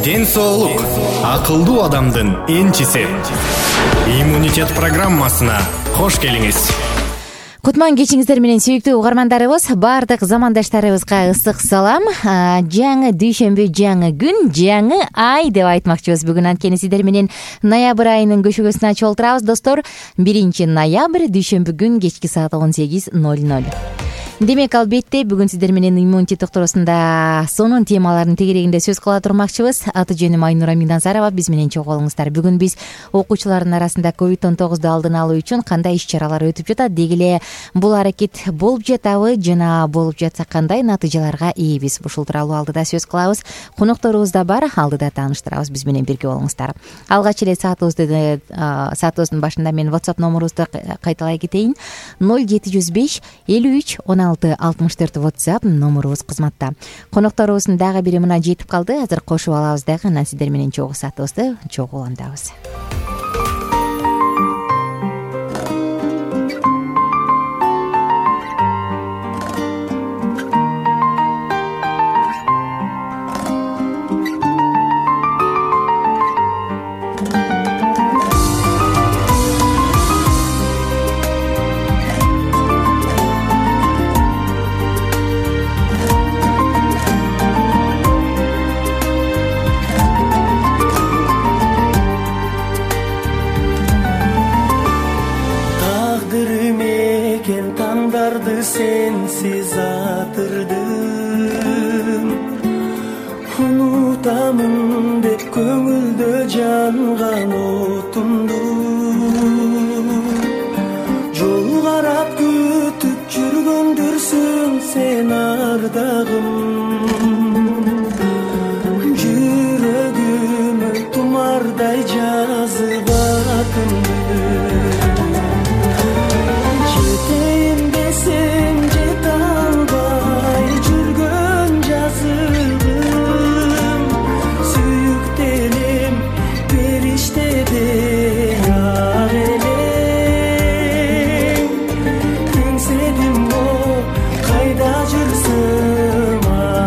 Ден соолук акылдуу адамдын энчиси. Иммунитет программасына кош келиңиз. Кутман кечиңиздер менен сүйүктүү угармандарыбыз, баардык замандаштарыбызга ысык салам. Жаңы дүйшөмбү, жаңы күн, жаңы ай деп айтмакчыбыз. Бүгүн анткени сиздер менен ноябрь айынын көшөгөсүн ачып отурабыз, достор. 1-ноябрь дүйшөмбү күн кечки саат 18:00. Демек, албетте бүгүн сиздер менен иммунитет токтоосунда сонун темалардын тегерегинде сөз кыла турмакчыбыз. Аты жөнүм Айнура Мигназарова. Биз менен чогуу болуңуздар. Бүгүн биз окуучулардын арасында COVID-19 алдын алуу үчүн кандай иш-чаралар өтүп жатат, деги эле бул аракет болуп жатабы жана болуп жатса кандай натыйжаларга ийбиз? Ушул тууралуу алдыда сөз кылабыз. Конокторубуз да бар, алдыда тааныштырабыз. Биз менен бирге болуңуздар. Алгач эле саатыбыздын башында мен WhatsApp номурубузду кайталай кетейин. 0705 53 16 64 WhatsApp номурубуз кызматта. Конокторубуздун дагы бири мына жетип калды. Азыр кошуп алабыз дагы, анан сиздер менен чогуу саатыбызды чогуу улантабыз. Sensiz atırdım, unutamın dep көңүлдө жанган отумду. Жол карап күтүп жүргөндүрсүң сен ардагым, жүрөгүмө тумардай жазып атымды.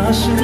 Aşık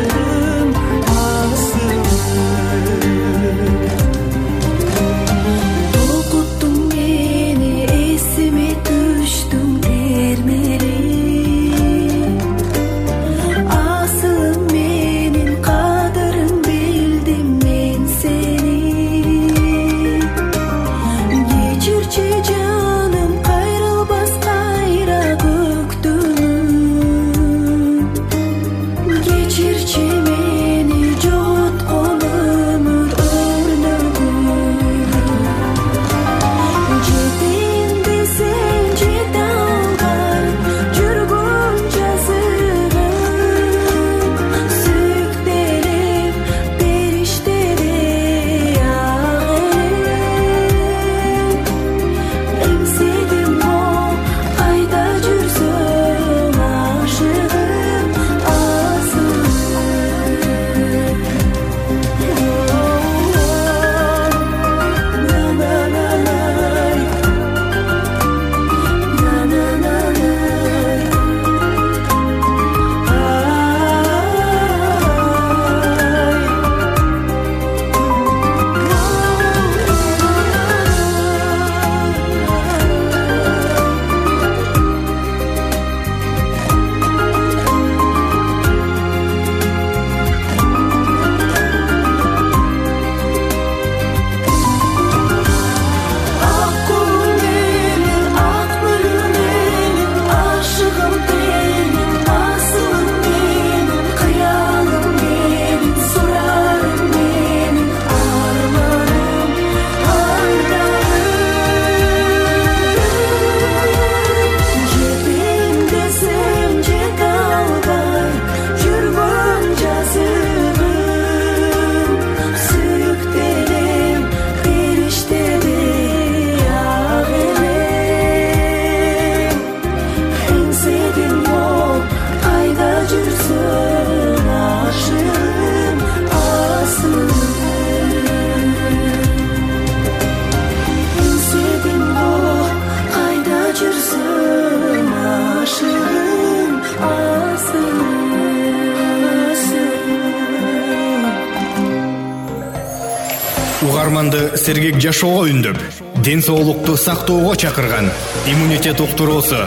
угарманды сергек жашоого үндөп, ден соолукту сактоого чакырган иммунитет уктуруусу.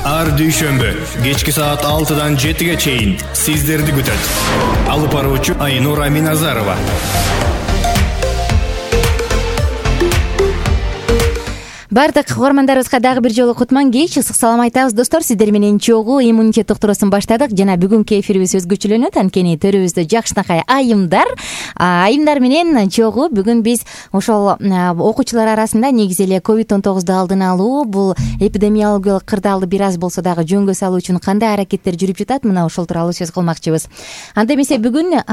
Ар дүйшөмбү кечки саат 6-дан 7-ге чейин сиздерди күтөт. Алып баруучу Айнура Миназарова. Бардык угармандарыбызга дагы бир жолу кутман кеч, ысык салам айтабыз достор. Сиздер менен чогуу иммунитет уктуруусун баштадык жана бүгүнкү эфирибиз өзгөчөлөнөт. Анткени төрүбүздө жакшынакай айымдар менен чогуу бүгүн биз ошол окуучулар арасында негизи эле COVID-19 алдын алуу, бул эпидемиологиялык кырдаалды бир аз болсо дагы жөнгө салуу үчүн кандай аракеттер жүрүп жатат, мына ошол тууралуу сөз кылмакчыбыз. Анда эмесе бүгүн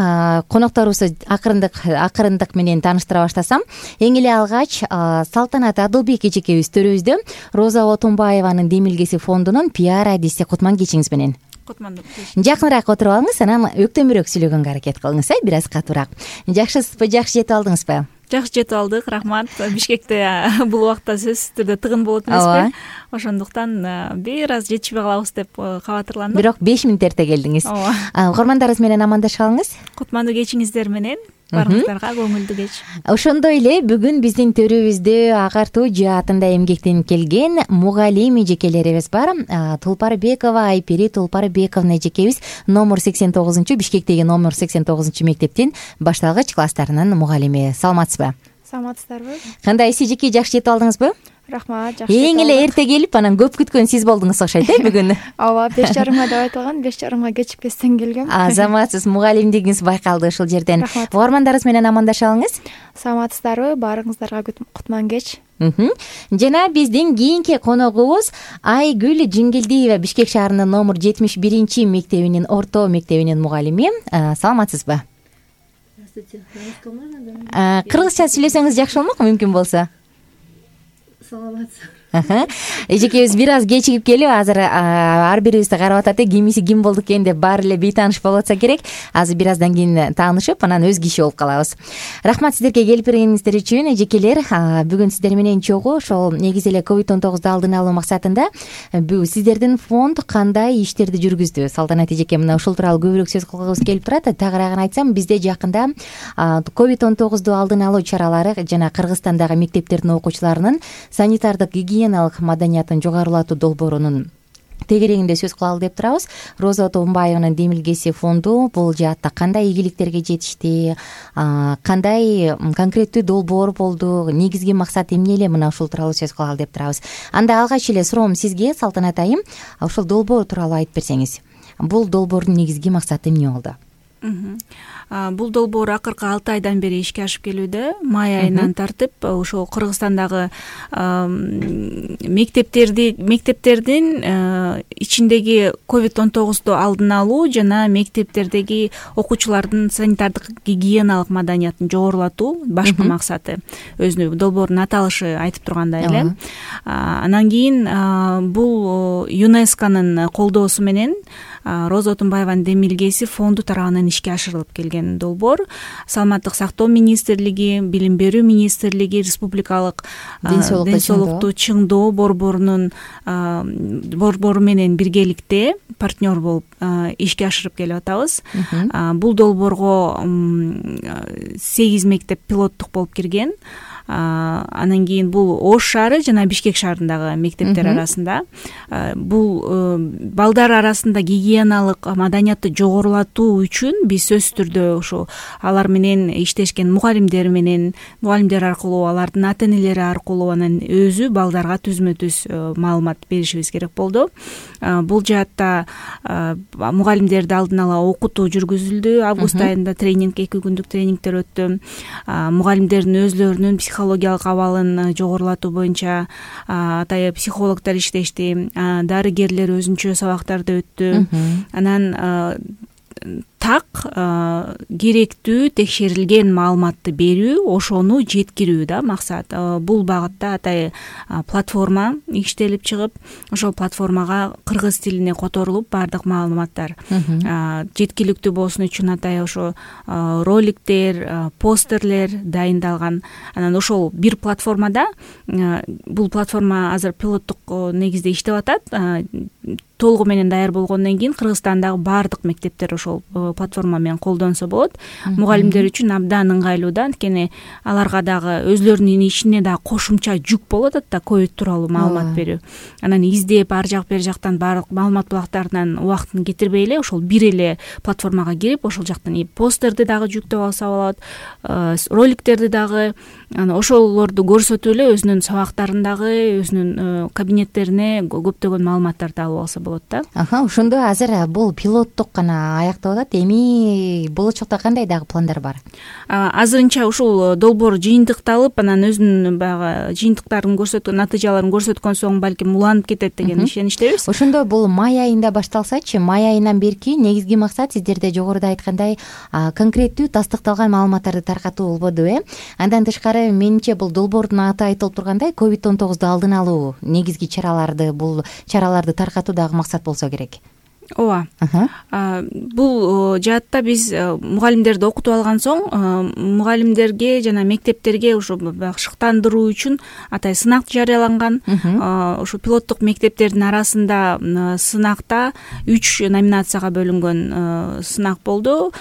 конокторубузду акырындык менен тааныштыра баштасам, эң эле алгач Салтанат Адылбек төрүбүздө Роза Отунбаеванын демилгеси фондунун пиар адиси. Кутман кечиңиз менен. Кутман. Жакыныраак отуруп алыңыз, анан өктөмүрөөк сүйлөгөнгө аракет кылыңыз, бир аз катуураак. Жакшысызбы, жакшы жетип алдыңызбы? Жакшы жетип алдык, рахмат. Бишкекте бул убакта сөзсүз түрдө тыгын болот эмеспи? Ошондуктан бир аз жетишпей калабыз деп кабатырландым. Бирок 5 мүнөт эрте келдиңиз. Угармандарыбыз менен амандашып алыңыз. Кутмандуу кечиңиздер менен. Баарыңыздарга көңүлдүү кеч. Ошондой эле бүгүн биздин төрүбүздө агартуу жаатында эмгектенип келген мугалим эжекелерибиз бар. Тулпарбекова Айпери Тулпарбековна эжекебиз номер 89 Бишкектеги номер 89 мектептин башталгыч класстарынын мугалими. Саламатсызбы? Саламатсыздарбы? Кандайсыз эжеке, жакшы жетип алдыңызбы? Рахмат, жакшы. Эң эле эрте келип, анан көп күткөн сиз болдуңуз окшойт бүгүн. Ооба, 5:30 деп айтылган, 5:30 кечикпестен келгем. Азаматсыз, мугалимдигиңиз байкалды ушул жерден. Угармандарыбыз менен амандашып алыңыз. Саламатсыздарбы? Баарыңыздарга кутман кеч. Жана биздин кийинки коногубуз Айгүл Жиңгилдиева, Бишкек шаарынын номер 71 мектебинин орто мектебинин мугалими. Саламатсызбы? Кыргызча сүйлөсөңүз жакшы болмок, мүмкүн болсо. Саламатсызбы? Эжекебиз бир аз кечигип келип, азыр ар бирибизди карап атат, кимиси ким болду экен деп баары эле бейтааныш болуп атса керек. Азыр бир аздан кийин таанышып, анан өз киши болуп калабыз. Рахмат сиздерге келип бергениңиздер үчүн, эжекелер. Бүгүн сиздер менен чогуу ошол негизи эле COVID-19 алдын алуу максатында сиздердин фонд кандай иштерди жүргүздү? Салтанат эжеке, мына ушул тууралуу көбүрөөк сөз кылгыбыз келип турат. Тагыраагын айтсам, бизде жакында COVID-19 алдын алуу чаралары жана Кыргызстандагы мектептердин окуучуларынын санитардык гигиеналык маданиятын жогорулатуу долбоорунун тегерегинде сөз кылалы деп турабыз. Роза Отунбаеванын демилгеси фонду бул жаатта кандай ийгиликтерге жетишти, кандай конкреттүү долбоор болду, негизги максат эмне эле, мына ушул тууралуу сөз кылалы деп турабыз. Анда алгач эле суроом сизге, Салтанат айым, ушул долбоор тууралуу айтып берсеңиз. Бул долбоордун негизги максаты эмне болду? Бул долбоор акыркы 6 айдан бери ишке ашып келүүдө. Май айынан тартып ошол Кыргызстандагы мектептердин ичиндеги COVID-19 алдын алуу жана мектептердеги окуучулардын санитардык гигиеналык маданиятын жогорулатуу башкы максаты. Өзүнүн долбоордун аталышы айтып тургандай эле. Анан кийин бул ЮНЕСКОнун колдоосу менен Роза Отунбаеванын демилгеси фонду тарабынан ишке ашырылып келген долбоор. Саламаттык сактоо министрлиги, билим берүү министрлиги, республикалык ден соолукту чыңдоо борборунун борбору менен биргеликте партнер болуп ишке ашырып келип атабыз. Бул долбоорго 8 мектеп пилоттук болуп кирген. Анан кийин бул Ош шаары жана Бишкек шаарындагы мектептер арасында бул балдар арасында гигиеналык маданиятты жогорулатуу үчүн биз сөзсүз түрдө ошо алар менен иштешкен мугалимдер аркылуу, алардын ата-энелери аркылуу анан өзү балдарга түзмө-түз маалымат беришибиз керек болду. Бул жаатта мугалимдерди алдын ала окутуу жүргүзүлдү. Август айында тренинг, 2 күндүк тренингдер өттү. Мугалимдердин өзлөрүнүн психологиялык абалын жогорулатуу боюнча атайын психологдор иштешти, дарыгерлер өзүнчө сабактарды өттү. Анан так керектүү текшерилген маалыматты берүү, ошону жеткирүү да максат. Бул багытта атайын платформа иштелип чыгып, ошол платформага кыргыз тилине которулуп бардык маалыматтар жеткиликтүү болсун үчүн атайын ошо роликтер, постерлер дайындалган. Анан ошол бир платформада, бул платформа азыр пилоттук негизде иштеп атат. Толугу менен даяр болгондон кийин Кыргызстандагы бардык мектептер ошол платформа менен колдонсо болот. Мугалимдер үчүн абдан ыңгайлуу да, анткени аларга дагы өзлөрүнүн ишине дагы кошумча жүк болуп атат да, ковид тууралуу маалымат берүү. Анан издеп ар жак бер жактан баардык маалымат булактарынан убактын кетирбей эле ошол бир эле платформага кирип ошол жактан посттерди дагы жүктөп алса болот, роликтерди дагы ошолорду көрсөтүп эле өзүнүн сабактарын дагы, өзүнүн кабинеттерине көптөгөн маалыматтарды алып алса болот да. Ошондо азыр бул пилоттук гана аяктап атат. Эми болочокто кандай дагы пландар бар? Азырынча ушул долбоор жыйынтыкталып, анан өзүнүн баягы жыйынтыктарын көрсөткөн, натыйжаларын көрсөткөн соң балким уланып кетет деген ишеничтебиз. Ошондо бул май айында башталсачы, май айынан берки негизги максат сиздерде жогоруда айткандай конкреттүү тастыкталган маалыматтарды таркатуу болбоду, Андан тышкары менимче бул долбоордун аты айтылып тургандай COVID-19 алдын алуу негизги чараларды таркатуу дагы максат болсо керек. Ооба. Бул жаатта биз мугалимдерди окутуп алган соң мугалимдерге жана мектептерге ушу шыктандыруу үчүн атай сынак жарыяланган. Ушу пилоттук мектептердин арасында сынакта 3 номинацияга бөлүнгөн сынак болду.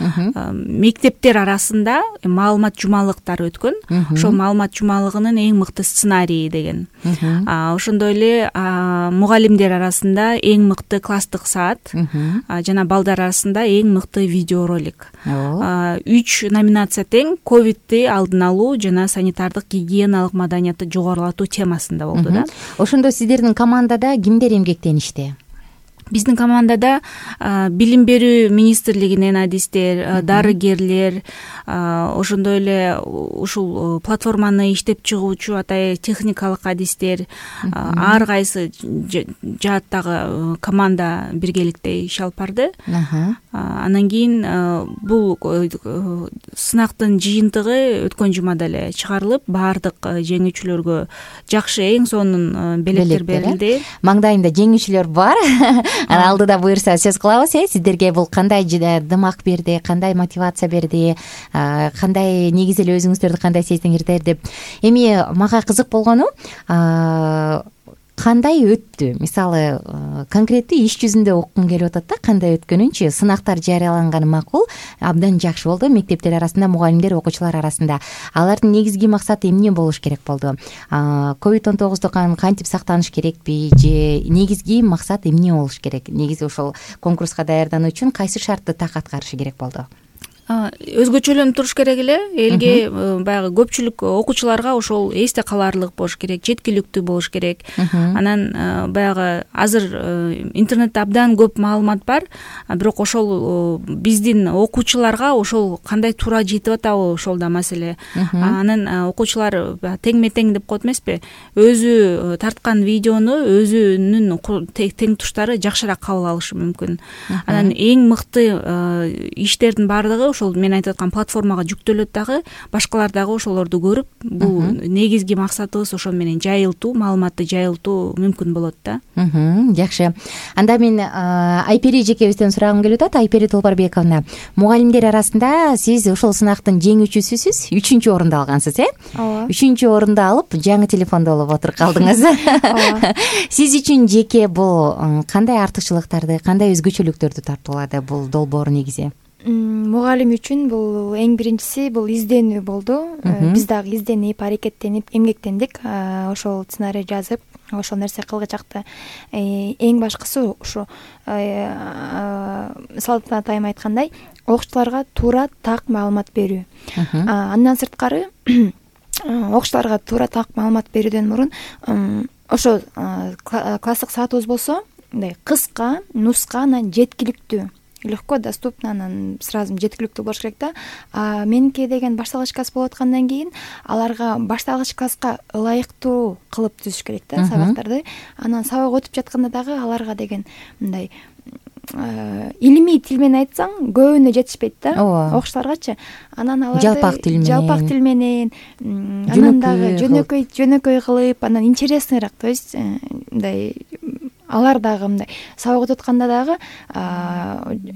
Мектептер арасында маалымат жумалыктары өткөн. Ошол маалымат жумалыгынын эң мыкты сценарийи деген. Ошондой эле мугалимдер арасында эң мыкты класстык саат жана балдар арасында эң мыкты видеоролик. 3 номинация тең ковидти алдын алуу жана санитардык гигиеналык маданиятты жогорулатуу темасында болду да. Ошондо сиздердин командада кимдер эмгектеништи? Биздин командада билим берүү министрлигинен адистер, дарыгерлер, ошондой эле ушул платформаны иштеп чыгуучу атай техникалык адистер, ар кайсы жааттагы команда биргеликте иш алып барды. Анан кийин бул сынактын жыйынтыгы өткөн жумада эле чыгарылып, баардык жеңүүчүлөргө жакшы эң сонун белектер берилди. Маңдайында жеңүүчүлөр бар. Алдыда буюрса сөз кылабыз. Сиздерге бул кандай дымак берди, кандай мотивация берди, кандай негизи эле өзүңүздөрдү кандай сездиңиздер деп. Эми мага кызык болгону кандай өттү? Мисалы, конкреттүү иш жүзүндө окугум келип атат да, кандай өткөнүнчү. Сынактар жарыяланганы макул, абдан жакшы болду мектептер арасында, мугалимдер, окуучулар арасында. Алардын негизги максаты эмне болуш керек болду? COVID-19 кантип сактаныш керекпи же негизги максат эмне болуш керек? Негизи ошол конкурска даярдануу үчүн кайсы шартты так аткарышы керек болду? Өзгөчөлөнүп туруш керек эле, элге баягы көпчүлүк окуучуларга ошол эсте калаарлык болуш керек, жеткиликтүү болуш керек. Анан баягы азыр интернетте абдан көп маалымат бар, бирок ошол биздин окуучуларга ошол кандай туура жетип атабы, ошол да маселе. Анан окуучулар теңме тең деп коет эмеспи? Өзү тарткан видеону өзүнүн тең туштары жакшыраак кабыл алышы мүмкүн. Анан эң мыкты иштердин баардыгы ошол мен айтып аткан платформага жүктөлөт дагы, башкалар дагы ошолорду көрүп, бул негизги максатыбыз ошол менен жайылтуу, маалыматты жайылтуу мүмкүн болот да. Жакшы. Анда мен Айпери жекебизден сурагым келип атат. Айпери Толбарбековна, мугалимдер арасында сиз ошол сынактын жеңүүчүсүсүз, 3-чү орунду алгансыз, Ооба. 3-чү орунду алып, жаңы телефонду алып отуруп калдыңыз. Сиз үчүн жеке бул кандай артыкчылыктарды, кандай өзгөчөлүктөрдү тартуулады бул долбоор негизи? Мугалим үчүн бул эң биринчиси бул изденүү болду. Биз дагы изденип, аракеттенип, эмгектендик. Ошол сценарий жазып, ошол нерсе кылгычакты. Эң башкысы ушу Салтанат атайым айткандай, окуучуларга туура так маалымат берүү. Андан сырткары окуучуларга туура так маалымат берүүдөн мурун ошо класстык саатыбыз болсо, мындай кыска, нуска, анан жеткиликтүү, легко доступно, анан сразу жеткиликтүү болуш керек да. Меники деген башталгыч класс болуп аткандан кийин аларга башталгыч класска ылайыктуу кылып түзүш керек да сабактарды. Анан сабак өтүп жатканда дагы аларга деген мындай илимий тил менен айтсаң көбүнө жетишпейт да окуучуларгачы. Анан аларды жалпак тил менен, анан дагы жөнөкөй кылып, анан интересныйраак, то есть мындай алар дагы мындай сабак өтүп атканда дагы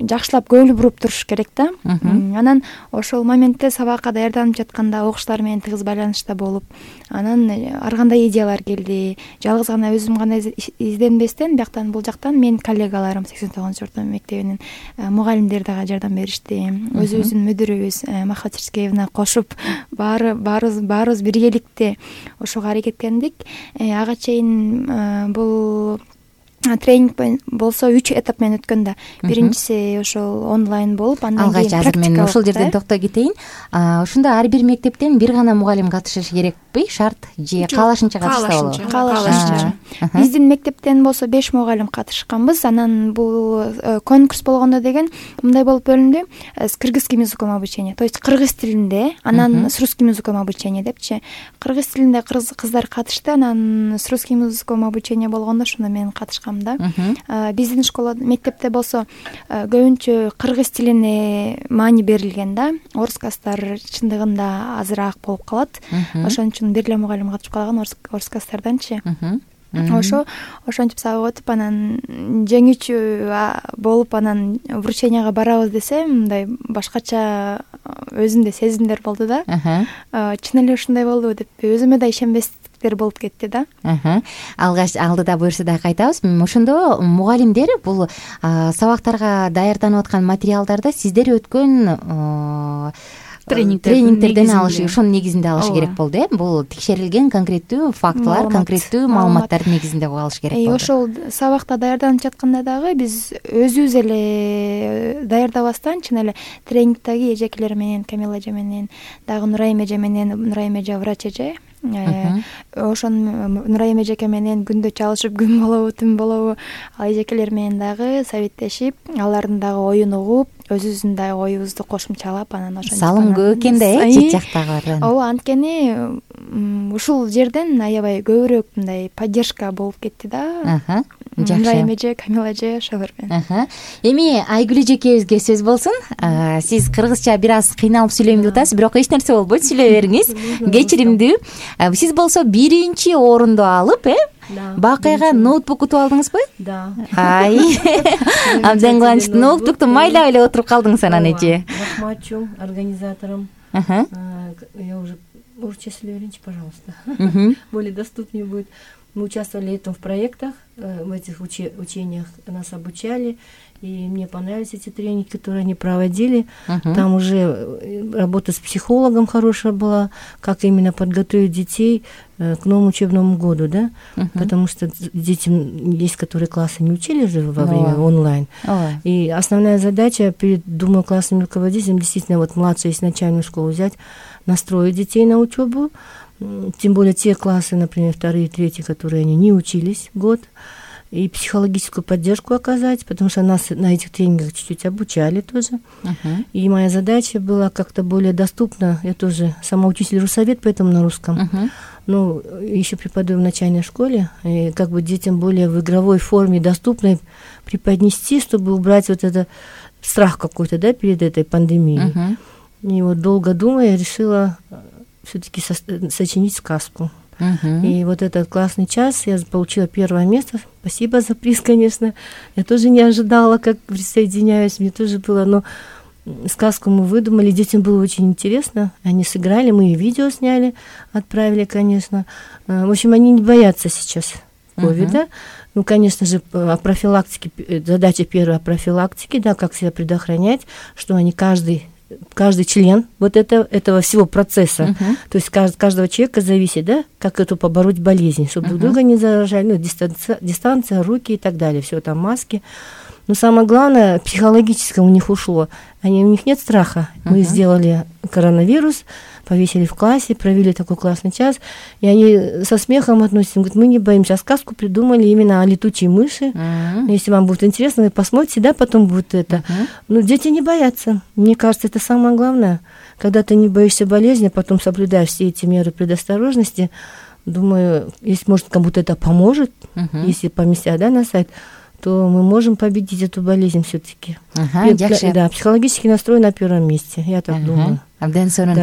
жакшылап көңүл буруп туруш керек да. Анан ошол моментте сабакка даярданып жатканда окуучулар менен тыгыз байланышта болуп, анан ар кандай идеялар келди. Жалгыз гана өзүм гана изденбестен бияктан бул жактан менин коллегаларым 89 орто мектебинин мугалимдери дагы жардам беришти. Өзүбүздүн мүдүрүбүз Махат Черскеевна кошуп баарыбыз биргеликте ошого аракеттендик. Ага чейин бул тренинг болсо 3 этап менен өткөн да. Биринчиси ошол онлайн болуп, андан кийин алгач азыр мен ушул жерден токтой кетейин. Ошондо ар бир мектептен бир гана мугалим катышышы керекпи? Шарт же каалашынча катышса болобу? Каалашынча. Биздин мектептен болсо 5 мугалим катышканбыз. Анан бул конкурс болгондо деген мындай болуп бөлүндү. С кыргызским языком обучение, то есть кыргыз тилинде, анан с русским языком обучение депчи. Кыргыз тилинде кыздар катышты, анан с русским языком обучение болгондо ошондо мен катышкам да. Биздин школа мектепте болсо көбүнчө кыргыз тилине маани берилген да. Орус класстар чындыгында азыраак болуп калат. Ошон үчүн бир эле мугалим катышып калган орус класстарданчы. Ошентип сабак өтүп, анан жеңүүчү болуп, анан врученияга барабыз десе, мындай башкача өзүмдө сезимдер болду да. Чын эле ушундай болду деп өзүмө да ишенбестиктер болуп кетти да. Алгач алдыда буюрса да кайтабыз. Ошондо мугалимдер бул сабактарга даярданып аткан материалдарды сиздер өткөн тренингтерден алышы, ошонун негизинде алышы керек болду. Бул текшерилген конкреттүү фактылар, конкреттүү маалыматтардын негизинде алыш керек болду. Ошол сабакта даярданып жатканда дагы биз өзүбүз эле даярдабастан чын эле тренингдеги эжекелер менен, Камила эже менен, дагы Нурайым эже менен, Нурайым эже врач эже, ошон Нурайым эжеке менен күндө чалышып, күн болобу, түн болобу, ал эжекелер менен дагы советтешип, алардын дагы оюн угуп, өзүбүздүн дагы оюбузду кошумчалап, анан ошон салым көп экен да, чет жактагылардан. Ооба, анткени ушул жерден аябай көбүрөөк мындай поддержка болуп кетти да. Жакшы. Нурайым эже, Камила эже ошолор менен. Эми Айгүл эжекебизге сөз болсун. Сиз кыргызча бир аз кыйналып сүйлөйм деп атасыз, бирок эч нерсе болбойт, сүйлөй бериңиз. Кечиримдүү. Сиз болсо 1-чи орунду алып, бакыйга ноутбук утуп алдыңызбы? Да. Абдан кубанычтуу. Ноутбукту майлап эле отуруп калдыңыз анан эже. Рахматчу организаторам. Я уже орусча сүйлөй берейинчи, пожалуйста. Более доступнее будет. Мы участвовали в проектах, в этих учениях нас обучали, и мне понравились эти тренинги, которые они проводили. Там уже работа с психологом хорошая была, как именно подготовить детей к новому учебному году, да, потому что детям есть, которые классы не учили же во время онлайн. И основная задача перед, думаю, классным руководителем действительно вот младшую, если начальную школу взять, настроить детей на учебу. Тем более те классы, например, 2-й, 3-й, которые они не учились год, и психологическую поддержку оказать, потому что нас на этих тренингах чуть-чуть обучали тоже. И моя задача была как-то более доступно. Я тоже сама учитель Руссовет, поэтому на русском. Но еще преподаю в начальной школе, и как бы детям более в игровой форме доступной преподнести, чтобы убрать вот этот страх какой-то, да, перед этой пандемией. И вот долго думая, я решила все-таки сочинить сказку. И вот этот классный час я получила 1-е место. Спасибо за приз, конечно. Я тоже не ожидала, как присоединяюсь. Мне тоже было, но сказку мы выдумали. Детям было очень интересно. Они сыграли, мы и видео сняли, отправили, конечно. В общем, они не боятся сейчас ковида. Ну, конечно же, о профилактике, задача первая о профилактике, да, как себя предохранять, что они каждый член вот этого всего процесса, то есть каждого человека зависит, да, как эту побороть болезнь, чтобы друг друга не заражали, ну, дистанция, руки и так далее, все там маски. Но самое главное, психологическое у них ушло. У них нет страха. Мы сделали коронавирус, повесили в классе, провели такой классный час, и они со смехом относятся, говорят, мы не боимся, сказку придумали именно о летучей мыши. Если вам будет интересно, вы посмотрите, да, потом будет это. Но дети не боятся. Мне кажется, это самое главное. Когда ты не боишься болезни, а потом соблюдаешь все эти меры предосторожности, думаю, если, может, кому-то это поможет, если поместят, да, на сайт, то мы можем победить эту болезнь все-таки. Да, психологический настрой на 1-м месте, я так думаю. Абдан сонун.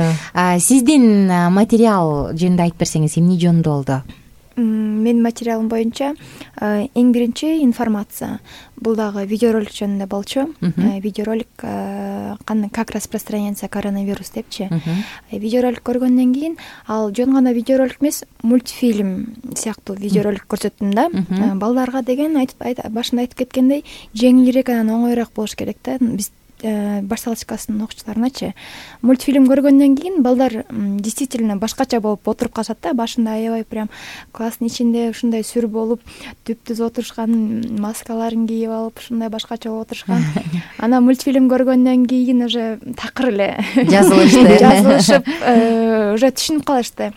Сиздин материал жөнүндө айтып берсеңиз, эмне жөнүндө болду? менин материалым боюнча эң биринчи информация. Бул дагы видеоролик жөнүндө болчу. Видеоролик как распространяется коронавирус депчи. Видеоролик көргөндөн кийин ал жөн гана видеоролик эмес, мультфильм сыяктуу видеоролик көрсөттүм да. Балдарга деген башында айтып кеткендей жеңилирээк, анан оңоюраак болуш керек да. Биз баш салочкасынын окуучуларыначы мультфильм көргөндөн кийин балдар действительно башкача болуп отуруп калышат да. Башында аябай прям класстын ичинде ушундай сүр болуп түп-түз отурушкан, маскаларын кийип алып ушундай башкача болуп отурушкан. Анан мультфильм көргөндөн кийин уже такыр эле жазылышып уже түшүнүп калышты.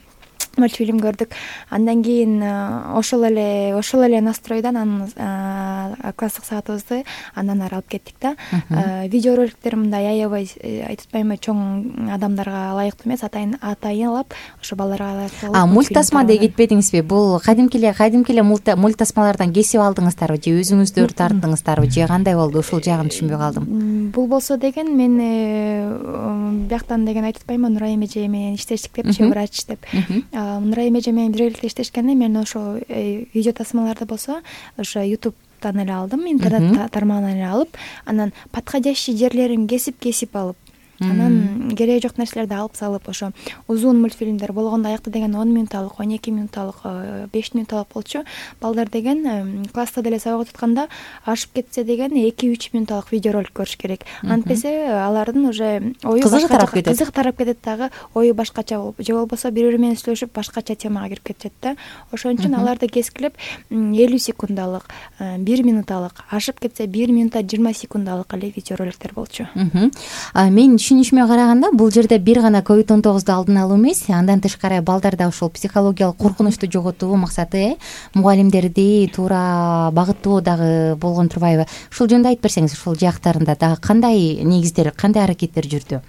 Мультфильм көрдүк. Андан кийин ошол эле настройдон анан класстык саатыбызды андан ары алып кеттик да. Видеороликтер мындай аябай айтып атпаймынбы, чоң адамдарга ылайыктуу эмес, атайынлап ошо балдарга ылайыктуу. Мультасма деп кетпедиңизби? Бул кадимки эле мультасмалардан кесип алдыңыздарбы же өзүңүздөр тарттыңыздарбы же кандай болду? Ушул жагын түшүнбөй калдым. Бул болсо деген мен бияктан деген айтып атпаймынбы, Нурайым эже менен иштештик депчи, врач деп. Нурайым эже менен биргеликте иштешкенде мен ошо видео тасмаларды болсо ошо ютубтан эле алдым, интернет тармагынан эле алып, анан подходящий жерлерин кесип алып, анан кереги жок нерселерди алып салып, ошо узун мультфильмдер болгондо аякта деген 10 минуталык, 12 минуталык, 5 минуталык болчу. Балдар деген класста деле сабак өтүп атканда ашып кетсе деген 2-3 минуталык видеоролик көрүш керек. Антпесе алардын уже ою кызык тарап кетет дагы, ою башкача болуп, же болбосо бири-бири менен сүйлөшүп башкача темага кирип кетет да. Ошон үчүн аларды кескилеп 50 секундалык, 1 минуталык, ашып кетсе 1 минута 20 секундалык эле видеороликтер болчу. Мен түшүнүшүмө караганда бул жерде бир гана COVID-19 алдын алуу эмес, андан тышкары балдарда ушул психологиялык коркунучту жоготуу максаты мугалимдерди туура багыттоо дагы болгон турбайбы? Ушул жөнүндө айтып берсеңиз, ушул жактарында дагы кандай негиздер, кандай аракеттер жүрдү?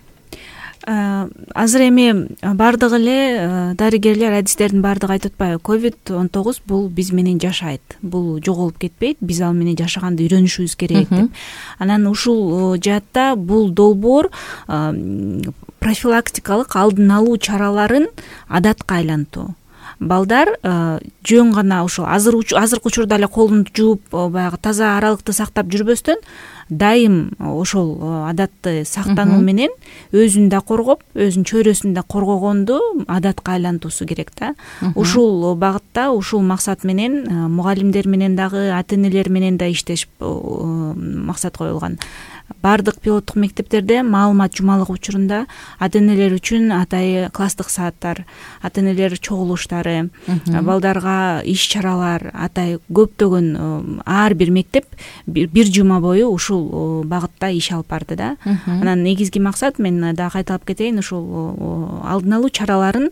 Азыр эми баардыгы эле дарыгерлер, адистердин баардыгы айтып атпайбы, COVID-19 бул биз менен жашайт, бул жоголуп кетпейт, биз ал менен жашаганды үйрөнүшүбүз керек деп. Анан ушул жаатта бул долбоор профилактикалык алдын алуу чараларын адатка айлантуу. Балдар жөн гана ушул азыркы учурда эле колун жууп, баягы таза аралыкты сактап жүрбөстөн, дайым ошол адатты сактануу менен өзүн да коргоп, өзүнүн чөйрөсүн да коргогонду адатка айлантуусу керек да. Ушул багытта, ушул максат менен мугалимдер менен дагы, ата-энелер менен да иштешип максат коюлган. Баардык пилоттук мектептерде маалымат жумалыгы учурунда ата-энелер үчүн атайы класстык сааттар, ата-энелер чогулуштары, балдарга иш-чаралар, атайы көптөгөн ар бир мектеп бир жума бою ушул багытта иш алып барды да. Анан негизги максат, мен дагы кайталап кетейин, ушул алдын алуу чараларын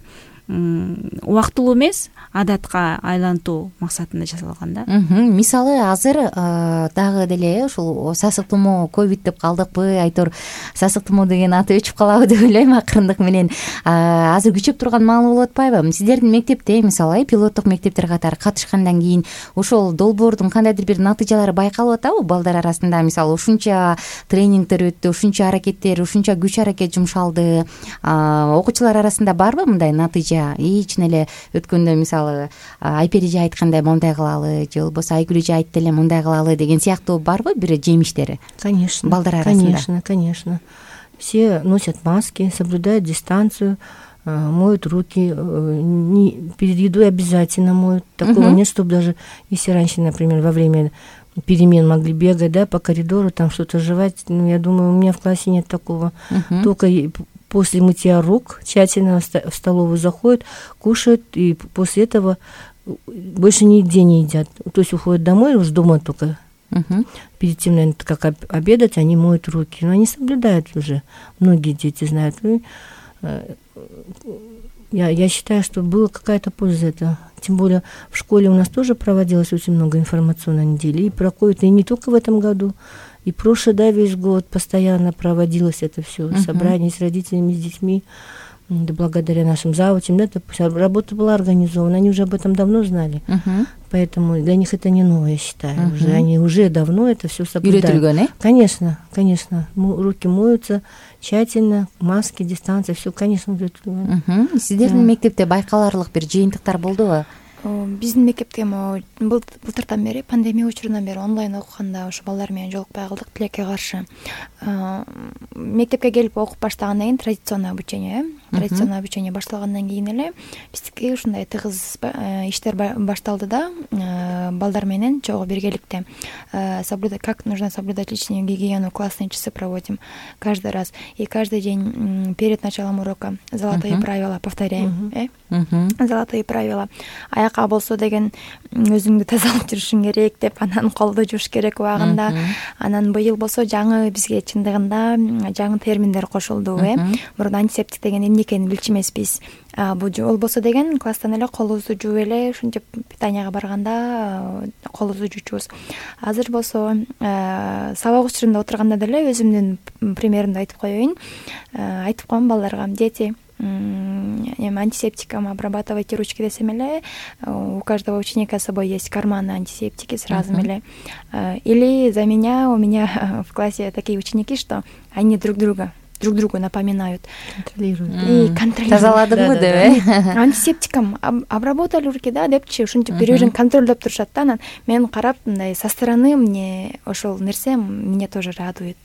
убактылуу эмес, адатка айлантуу максатында жасалган да. Мисалы азыр дагы деле ушул сасык тумоо ковид деп калдыкпы, айтор сасык тумоо деген аты өчүп калабы деп ойлойм акырындык менен. Азыр күчөп турган маал болуп атпайбы? Сиздердин мектепте мисалы пилоттук мектептер катары катышкандан кийин ошол долбоордун кандайдыр бир натыйжалары байкалып атабы балдар арасында? Мисалы ушунча тренингдер өттү, ушунча аракеттер, ушунча күч аракет жумшалды. Окуучулар арасында барбы мындай натыйжа? Ичине эле өткөндө мисалы Айпери эже айткандай мындай кылалы, же болбосо Айгүл эже айтты эле мындай кылалы деген сыяктуу барбы бир жемиштери? Конечно. Балдар арасында. Конечно. Все носят маски, соблюдают дистанцию, моют руки, перед едой обязательно моют. Такого нет, чтобы даже если раньше, например, во время перемен могли бегать, да, по коридору, там что-то жевать. Я думаю, у меня в классе нет такого. Только после мытья рук тщательно в столовую заходят, кушают, и после этого больше нигде не едят. То есть уходят домой, уже дома только. Перед тем, наверное, как обедать, они моют руки. Но они соблюдают уже. Многие дети знают. Я считаю, что была какая-то польза этого. Тем более в школе у нас тоже проводилось очень много информационной недели. И про ковид, и не только в этом году. И прошлый, да, весь год постоянно проводилось это все, собрание с родителями, с детьми, да, благодаря нашим завучам, да, работа была организована, они уже об этом давно знали, поэтому для них это не новое, я считаю, уже, они уже давно это все соблюдают. Конечно, руки моются тщательно, маски, дистанция, все, конечно, Сиздердин мектепте байкаларлык бир жыйынтыктар болдубу? Биздин мектепте былтыртан бери, пандемия учурунан бери онлайн окуганда ошо балдар менен жолукпай калдык тилекке каршы. Мектепке келип окуп баштагандан кийин традиционное обучение башталгандан кийин эле биздики ушундай тыгыз иштер башталды да, балдар менен чогуу биргеликте как нужно соблюдать личную гигиену, классные часы проводим каждый раз. И каждый день перед началом урока золотые правила повторяем. Золотые правила. Аяка болсо деген өзүңдү тазалап жүрүшүң керек деп, анан колду жууш керек убагында. Анан быйыл болсо жаңы бизге чындыгында жаңы терминдер кошулду. Мурун антисептик деген эмне экенин билчү эмеспиз. Бул болсо деген класстан эле колубузду жууп эле ушинтип питанияга барганда колубузду жуучубуз. Азыр болсо сабак учурунда отурганда деле өзүмдүн примеримди айтып коеюн. Айтып коем балдарга: дети, антисептиком обрабатывайте ручки десем эле, у каждого ученика с собой есть карманы антисептики сразу эле. Или за меня, у меня в классе такие ученики, что они друг другу напоминают. Контролируют. Тазаладыңбы деп, Антисептиком обработали руки, да, депчи, ушинтип бири-бирин контролдоп турушат да. Анан мен карап, мындай со стороны мне ошол нерсе меня тоже радует.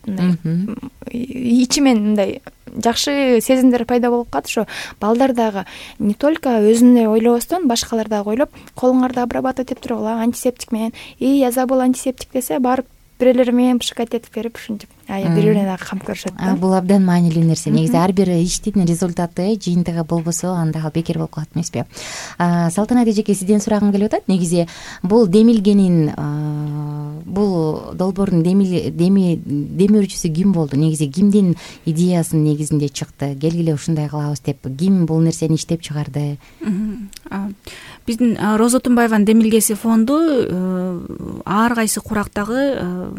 Ичимен мындай жакшы сезимдер пайда болуп калат. Ошо балдар дагы не только өзүнө ойлобостон, башкалар дагы ойлоп, колуңарды обрабатывать этип туруп, антисептик менен, я забыл антисептик десе, барып бирелери менен пшикать этип берип, ушинтип бири-бирине дагы камп көрүшөт да. Бул абдан маанилүү нерсе. Негизи ар бир иштин результаты, жыйынтыгы болбосо, анда ал бекер болуп калат эмеспи? Салтанат эжеке, сизден сурагым келип атат. Негизи бул демилгенин, бул долбоордун демирүүчүсү ким болду? Негизи кимдин идеясынын негизинде чыкты? Келгиле ушундай кылабыз деп, ким бул нерсени иштеп чыгарды? Биздин Роза Тумбаеванын демилгеси фонду ар кайсы курактагы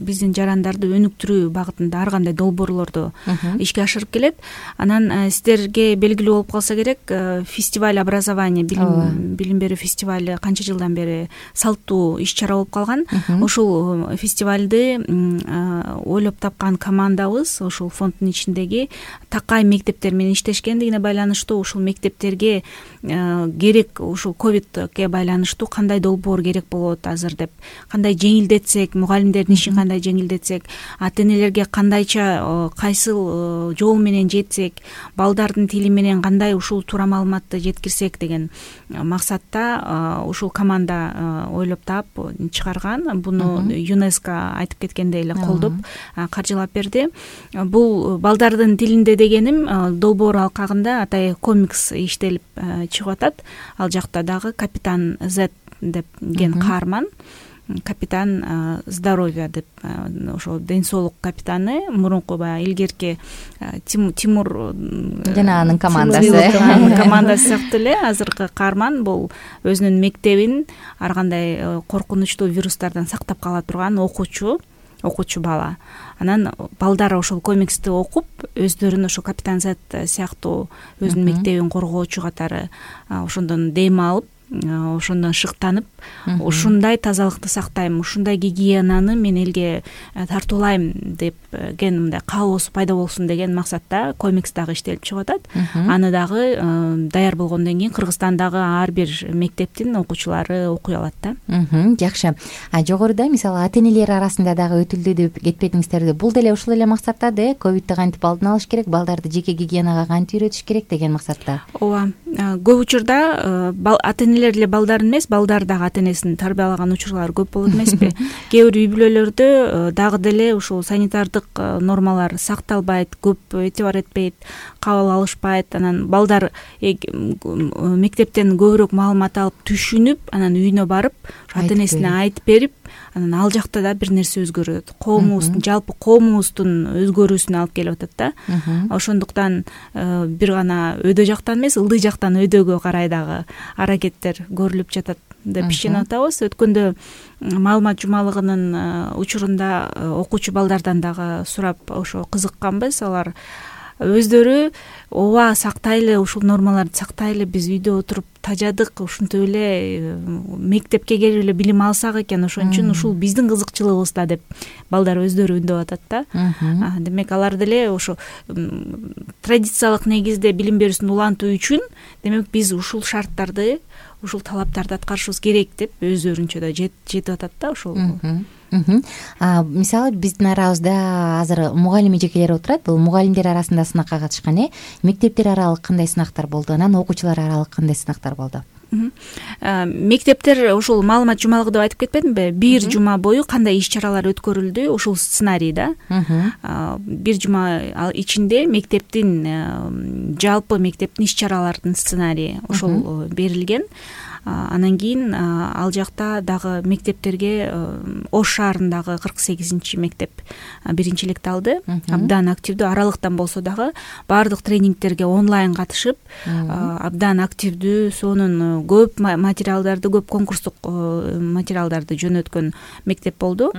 биздин жарандарды өнүктүрүү багытында ар кандай долбоорлорду ишке ашырып келет. Анан сиздерге белгилүү болуп калса керек, фестиваль образования, билим берүү фестивали канча жылдан бери салттуу иш чара болуп калган. Ушул фестивалды ойлоп тапкан командабыз ушул фонддун ичиндеги такай мектептер менен иштешкендигине байланыштуу, ушул мектептерге керек, ушул ковидке байланыштуу кандай долбоор керек болот азыр деп, кандай жеңилдетсек, мугалимдердин ишин кандай жеңилдетсек, ата-энелерге кандайча кайсыл жол менен жетсек, балдардын тили менен кандай ушул туура маалыматты жеткирсек деген максатта ушул команда ойлоп таап чыгарган. Буну ЮНЕСКО айтып кеткендей эле колдоп каржылап берди. Бул балдардын тилинде дегеним долбоор алкагында атайын комикс иштелип чыгып атат. Ал жакта дагы капитан Z деген каарман, капитан здоровья деп, ошо ден соолук капитаны, мурунку баягы илгерки Тимур жана анын командасы сыяктуу эле азыркы каарман бул өзүнүн мектебин ар кандай коркунучтуу вирустардан сактап кала турган окуучу бала. Анан балдар ошол комиксти окуп, өздөрүн ошо капитан Z сыяктуу өзүнүн мектебин коргоочу катары ошондон дем алып, ошондон шыктанып, ушундай тазалыкты сактайм, ушундай гигиенаны мен элге тартуулайм деген мындай каалоосу пайда болсун деген максатта комикс дагы иштелип чыгып атат. Аны дагы даяр болгондон кийин Кыргызстандагы ар бир мектептин окуучулары окуй алат да. Жакшы. Жогоруда мисалы ата-энелер арасында дагы өтүлдү деп кетпедиңиздерби? Бул деле ушул эле максатта да, ковидти кантип алдын алыш керек, балдарды жеке гигиенага кантип үйрөтүш керек деген максатта. Ооба. Көп учурда ата-энелер эле балдар эмес, балдар дагы ата-энесин тарбиялаган учурлар көп болот эмеспи? Кээ бир үй бүлөлөрдө дагы деле ушул санитардык нормалар сакталбайт, көп этибар этпейт, кабыл алышпайт. Анан балдар мектептен көбүрөөк маалымат алып, түшүнүп, анан үйүнө барып, ата-энесине айтып берип, анан ал жакта да бир нерсе өзгөрөт. Коомубуздун, жалпы коомубуздун өзгөрүүсүнө алып келип атат да. Ошондуктан бир гана өйдө жактан эмес, ылдый жактан өйдөгө карай дагы аракеттер көрүлүп жатат деп ишенип атабыз. Өткөндө маалымат жумалыгынын учурунда окуучу балдардан дагы сурап ошо кызыкканбыз. Алар өздөрү ооба сактайлы, ушул нормаларды сактайлы, биз үйдө отуруп тажадык, ушинтип эле мектепке келип эле билим алсак экен, ошон үчүн ушул биздин кызыкчылыгыбыз да деп балдар өздөрү үндөп атат да. Демек алар деле ошо традициялык негизде билим берүүсүн улантуу үчүн демек биз ушул шарттарды, ушул талаптарды аткарышыбыз керек деп өздөрүнчө да жетип атат да ошол. Мисалы биздин арабызда азыр мугалим эжекелер отурат. Бул мугалимдер арасында сынакка катышкан, мектептер аралык кандай сынактар болду, анан окуучулар аралык кандай сынактар болду? Мектептер ушул маалымат жумалыгы деп айтып кетпедимби? Бир жума бою кандай иш-чаралар өткөрүлдү, ушул сценарийда. Бир жума ичинде мектептин жалпы мектептин иш-чараларынын сценарийи ошол берилген. Анан кийин ал жакта дагы мектептерге Ош шаарындагы 48 мектеп биринчи электи алды. Абдан активдүү, аралыктан болсо дагы баардык тренингтерге онлайн катышып, абдан активдүү, сонун көп материалдарды, көп конкурстук материалдарды жөнөткөн мектеп болду.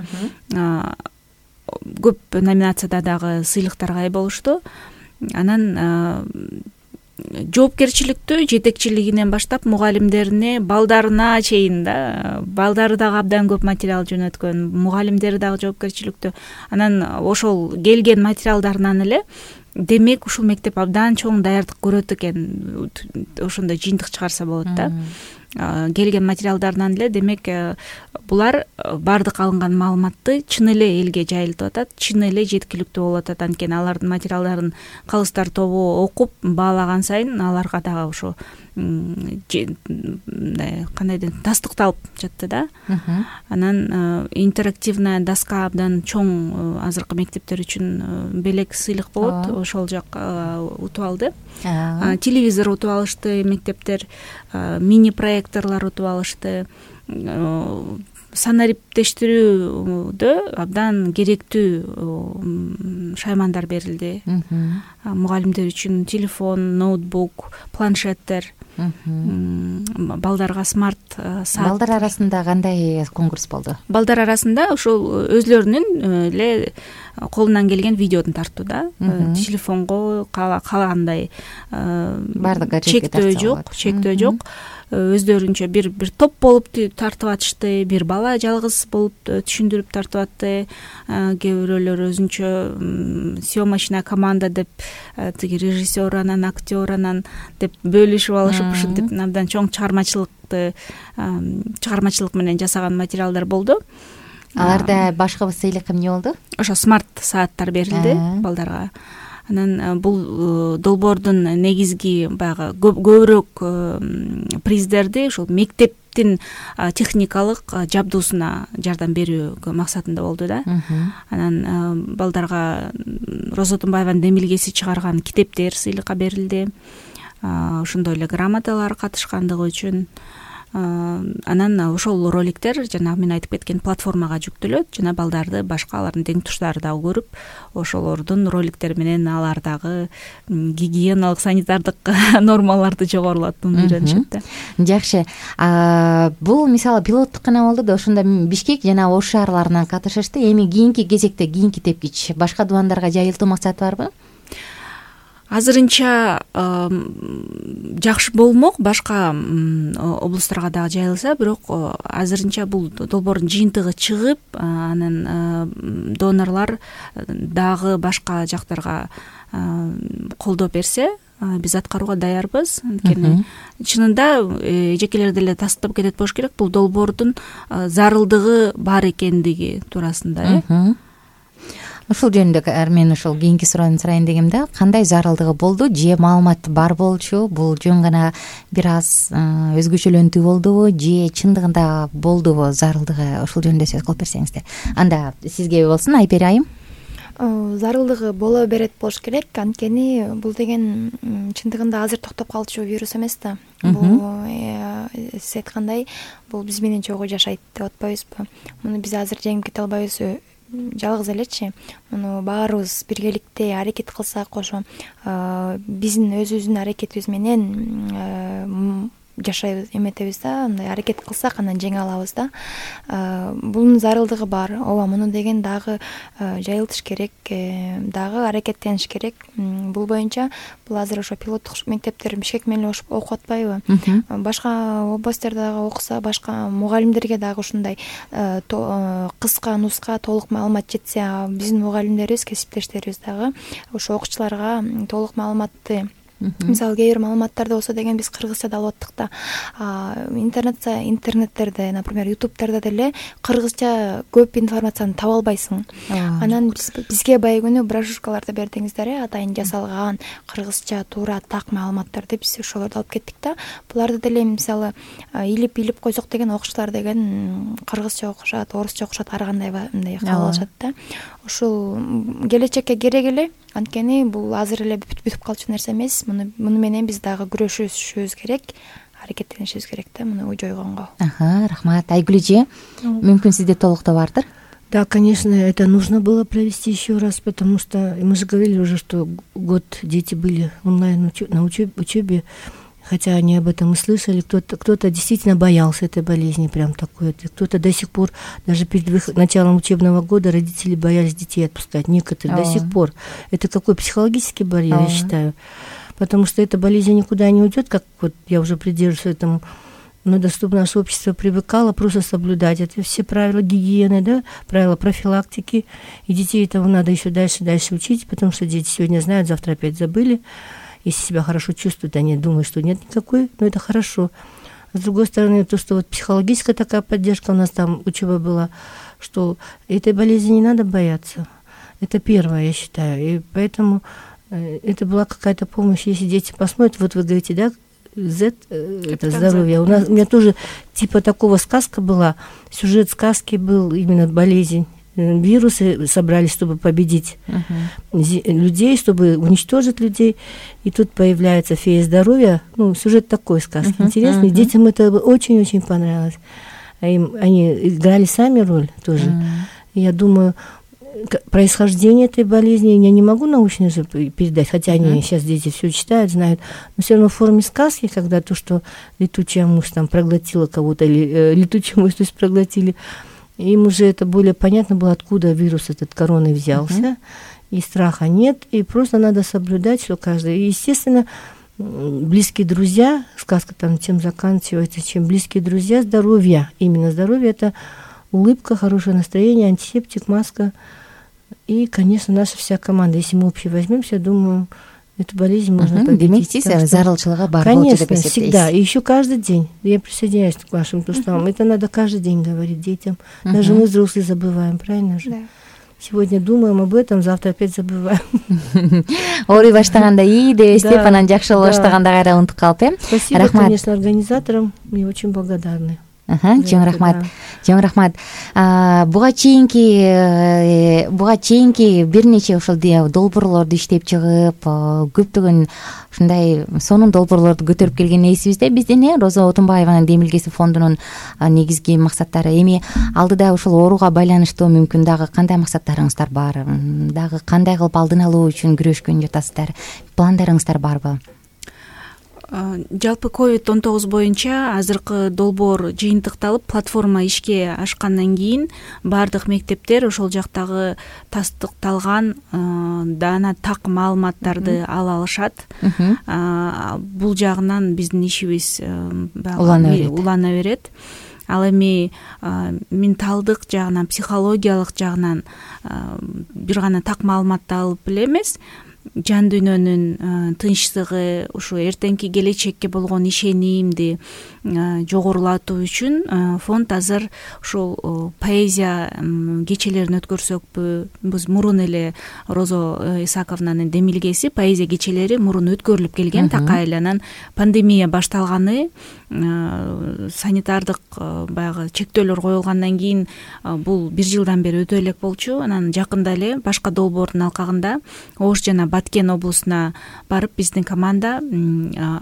Көп номинацияда дагы сыйлыктарга ээ болушту. Анан жоопкерчиликтүү жетекчилигинен баштап мугалимдерине, балдарына чейин да, балдары дагы абдан көп материал жөнөткөн, мугалимдери дагы жоопкерчиликтүү. Анан ошол келген материалдарынан эле демек ушул мектеп абдан чоң даярдык көрөт экен, ошондой жыйынтык чыгарса болот да. Келген материалдарынан эле демек булар баардык алынган маалыматты чын эле элге жайылтып атат, чын эле жеткиликтүү болуп атат. Анткени алардын материалдарын калыстар тобу окуп баалаган сайын аларга дагы ошо кандай дейм, тастыкталып жатты да. Анан интерактивная доска абдан чоң азыркы мектептер үчүн белек сыйлык болот. Ошол жак утуп алды. Телевизор утуп алышты мектептер, мини проекторлор утуп алышты. Санариптештирүүдө абдан керектүү шаймандар берилди. Мугалимдер үчүн телефон, ноутбук, планшеттер, балдарга смарт саат. Балдар арасында кандай конкурс болду? Балдар арасында ошол өзлөрүнүн эле колунан келген видеодун тартуу да. Телефонго каалагандай бардыгы чектөө жок. Өздөрүнчө бир топ болуп тартып атышты, бир бала жалгыз болуп түшүндүрүп тартып атты. Кээ бирөөлөр өзүнчө съемочная команда деп, тиги режиссер анан актер анан деп бөлүшүп алышып, ушинтип абдан чоң чыгармачылык менен жасаган материалдар болду. Аларда башкы сыйлык эмне болду? Ошо смарт сааттар берилди балдарга. Анан бул долбоордун негизги баягы көбүрөөк приздерди ушул мектептин техникалык жабдуусуна жардам берүү максатында болду да. Анан балдарга Роза Тумбаеванын демилгеси чыгарган китептер сыйлыкка берилди. Ошондой эле грамоталар катышкандыгы үчүн. Анан ошол роликтер жана мен айтып кеткен платформага жүктөлөт, жана балдарды башка алардын тең туштары дагы көрүп, ошолордун роликтери менен алар дагы гигиеналык, санитардык нормаларды жогорулатууну үйрөнүшөт да. Жакшы. Бул мисалы пилоттук гана болду да, ошондо Бишкек жана Ош шаарларынан катышышты. Эми кийинки кезекте, кийинки тепкич башка дубандарга жайылтуу максаты барбы? Азырынча жакшы болмок, башка облустарга дагы жайылса, бирок азырынча бул долбоордун жыйынтыгы чыгып, анан донорлор дагы башка жактарга колдоо берсе, биз аткарууга даярбыз. Анткени чынында эжекелер деле тастыктап кетет болуш керек, бул долбоордун зарылдыгы бар экендиги туурасында. Ушул жөнүндө мен ошол кийинки суроону сурайын дегем да, кандай зарылдыгы болду же маалымат бар болчу, бул жөн гана бир аз өзгөчөлөнтүү болдубу же чындыгында болдубу зарылдыгы, ошол жөнүндө сөз кылып берсеңиздер. Анда сизге болсун, Айпери айым. Зарылдыгы боло берет болуш керек, анткени бул деген чындыгында азыр токтоп калчу вирус эмес да. Бул сиз айткандай, бул биз менен чогуу жашайт деп атпайбызбы? Муну биз азыр жеңип кете албайбыз жалгыз элечи. Муну баарыбыз биргеликте аракет кылсак, ошо биздин өзүбүздүн аракетибиз менен жашайбыз, эметебиз да, мындай аракет кылсак анан жеңе алабыз да. Бунун зарылдыгы бар. Ооба, муну деген дагы жайылтыш керек, дагы аракеттениш керек. Бул боюнча бул азыр ошо пилоттук мектептер Бишкек менен окуп атпайбы? Башка областьтарда дагы окуса, башка мугалимдерге дагы ушундай кыска, нуска, толук маалымат жетсе, биздин мугалимдерибиз, кесиптештерибиз дагы ошо окуучуларга толук маалыматты, мисалы кээ бир маалыматтарды болсо деген биз кыргызчада алып аттык да, интернеттерде, например, ютубтарда деле кыргызча көп информацияны таба албайсың. Анан бизге баягы күнү брошюркаларды бердиңиздер, атайын жасалган кыргызча туура так маалыматтарды биз ошолорду алып кеттик да. Буларды деле мисалы илип койсок деген окуучулар деген кыргызча окушат, орусча окушат, ар кандай мындай кабыл алышат да. Ушул келечекке керек эле, анткени бул азыр эле бүтүп калчу нерсе эмес. Муну менен биз дагы күрөшүшүбүз керек, аракеттенишибиз керек да муну жойгонго. Рахмат. Айгүл эже, мүмкүн сизде толуктоо бардыр? Да, конечно, это нужно было провести еще раз, потому что мы же говорили уже, что год дети были онлайн на учебе, хотя они об этом и слышали. Кто-то действительно боялся этой болезни, прям такой. Кто-то до сих пор, даже перед началом учебного года, родители боялись детей отпускать. Некоторые до сих пор. Это какой психологический барьер, я считаю. Потому что эта болезнь никуда не уйдет, как вот я уже придерживаюсь этому. Но чтобы наше общество привыкало просто соблюдать это все правила гигиены, да, правила профилактики. И детей этого надо еще дальше учить, потому что дети сегодня знают, завтра опять забыли. Если себя хорошо чувствуют, они думают, что нет никакой, но это хорошо. С другой стороны, то, что вот психологическая такая поддержка у нас там учеба была, что этой болезни не надо бояться. Это первое, я считаю. И поэтому это была какая-то помощь. Если дети посмотрят, вот вы говорите, да, Z, это здоровье. У меня тоже типа такого сказка была, сюжет сказки был именно болезнь. Вирусы собрались, чтобы победить людей, чтобы уничтожить людей. И тут появляется фея здоровья. Ну, сюжет такой сказки интересный. Детям это очень-очень понравилось. Они играли сами роль тоже. Я думаю, происхождение этой болезни я не могу научно же передать, хотя они сейчас дети все читают, знают, но все равно в форме сказки, когда то, что летучая мышь там проглотила кого-то, или летучую мышь, то есть проглотили, им уже это более понятно было, откуда вирус этот короны взялся, и страха нет, и просто надо соблюдать, что каждый. И, естественно, близкие друзья, сказка там тем заканчивается, чем близкие друзья, здоровье, именно здоровье, это улыбка, хорошее настроение, антисептик, маска. И, конечно, наша вся команда. Если мы общий возьмемся, думаю, эту болезнь можно победить. Конечно, всегда. И еще каждый день. Я присоединяюсь к вашим словам. Это надо каждый день говорить детям. Даже мы, взрослые, забываем, правильно же? Да. Сегодня думаем об этом, завтра опять забываем. Ооруй баштаганда ии дебестип, анан жакшы боло баштаганда кайра унутуп калып, Спасибо, конечно, организаторам. Мы очень благодарны. Чоң рахмат. Буга чейинки бир нече ошол долбоорлорду иштеп чыгып, көптөгөн ушундай сонун долбоорлорду көтөрүп келген эсибизде. Биздин Роза Отунбаеванын демилгеси фондунун негизги максаттары. Эми алдыда ушул ооруга байланыштуу мүмкүн дагы кандай максаттарыңыздар бар? Дагы кандай кылып алдын алуу үчүн күрөшкөн жатасыздар? Пландарыңыздар барбы? Жалпы COVID-19 боюнча азыркы долбоор жыйынтыкталып, платформа ишке ашкандан кийин баардык мектептер ошол жактагы тастыкталган даана так маалыматтарды ала алышат. Бул жагынан биздин ишибиз улана берет. Ал эми менталдык жагынан, психологиялык жагынан бир гана так маалыматты алып эле эмес, жан дүйнөнүн тынчсыгы, ушу эртеңки келечекке болгон ишенимди жогорулатуу үчүн фонд азыр ушул поэзия кечелерин өткөрсөкпү? Биз мурун эле Роза Исаковнанын демилгеси поэзия кечелери мурун өткөрүлүп келген, такай эле. Анан пандемия башталганы, санитардык баягы чектөөлөр коюлгандан кийин бул бир жылдан бери өтө элек болчу. Анан жакында эле башка долбоордун алкагында Ош жана Баткен облусуна барып, биздин команда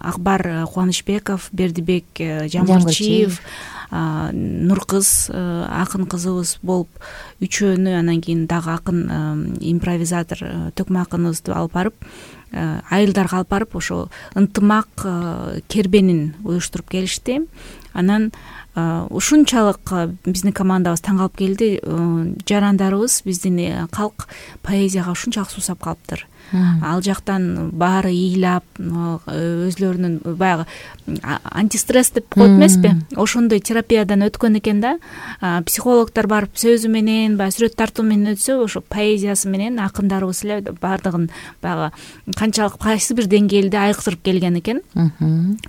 Акбар Кубанычбеков, Бердибек Жамгырчиев, Нуркыз акын кызыбыз болуп үчөөнү, анан кийин дагы акын импровизатор Төкмө акыныбызды алып барып, айылдарга алып барып ошо ынтымак кербенин уюштуруп келишти. Анан ушунчалык биздин командабыз таң калып келди. Жарандарыбыз, биздин калк поэзияга ушунчалык суусап калыптыр. Ал жактан баары ыйлап, өзлөрүнүн баягы антистресс деп коет эмеспи, ошондой терапиядан өткөн экен да. Психологдор барып сөзү менен, баягы сүрөт тартуу менен өтсө, ошо поэзиясы менен акындарыбыз эле баардыгын баягы канчалык кайсы бир деңгээлде айкытырып келген экен.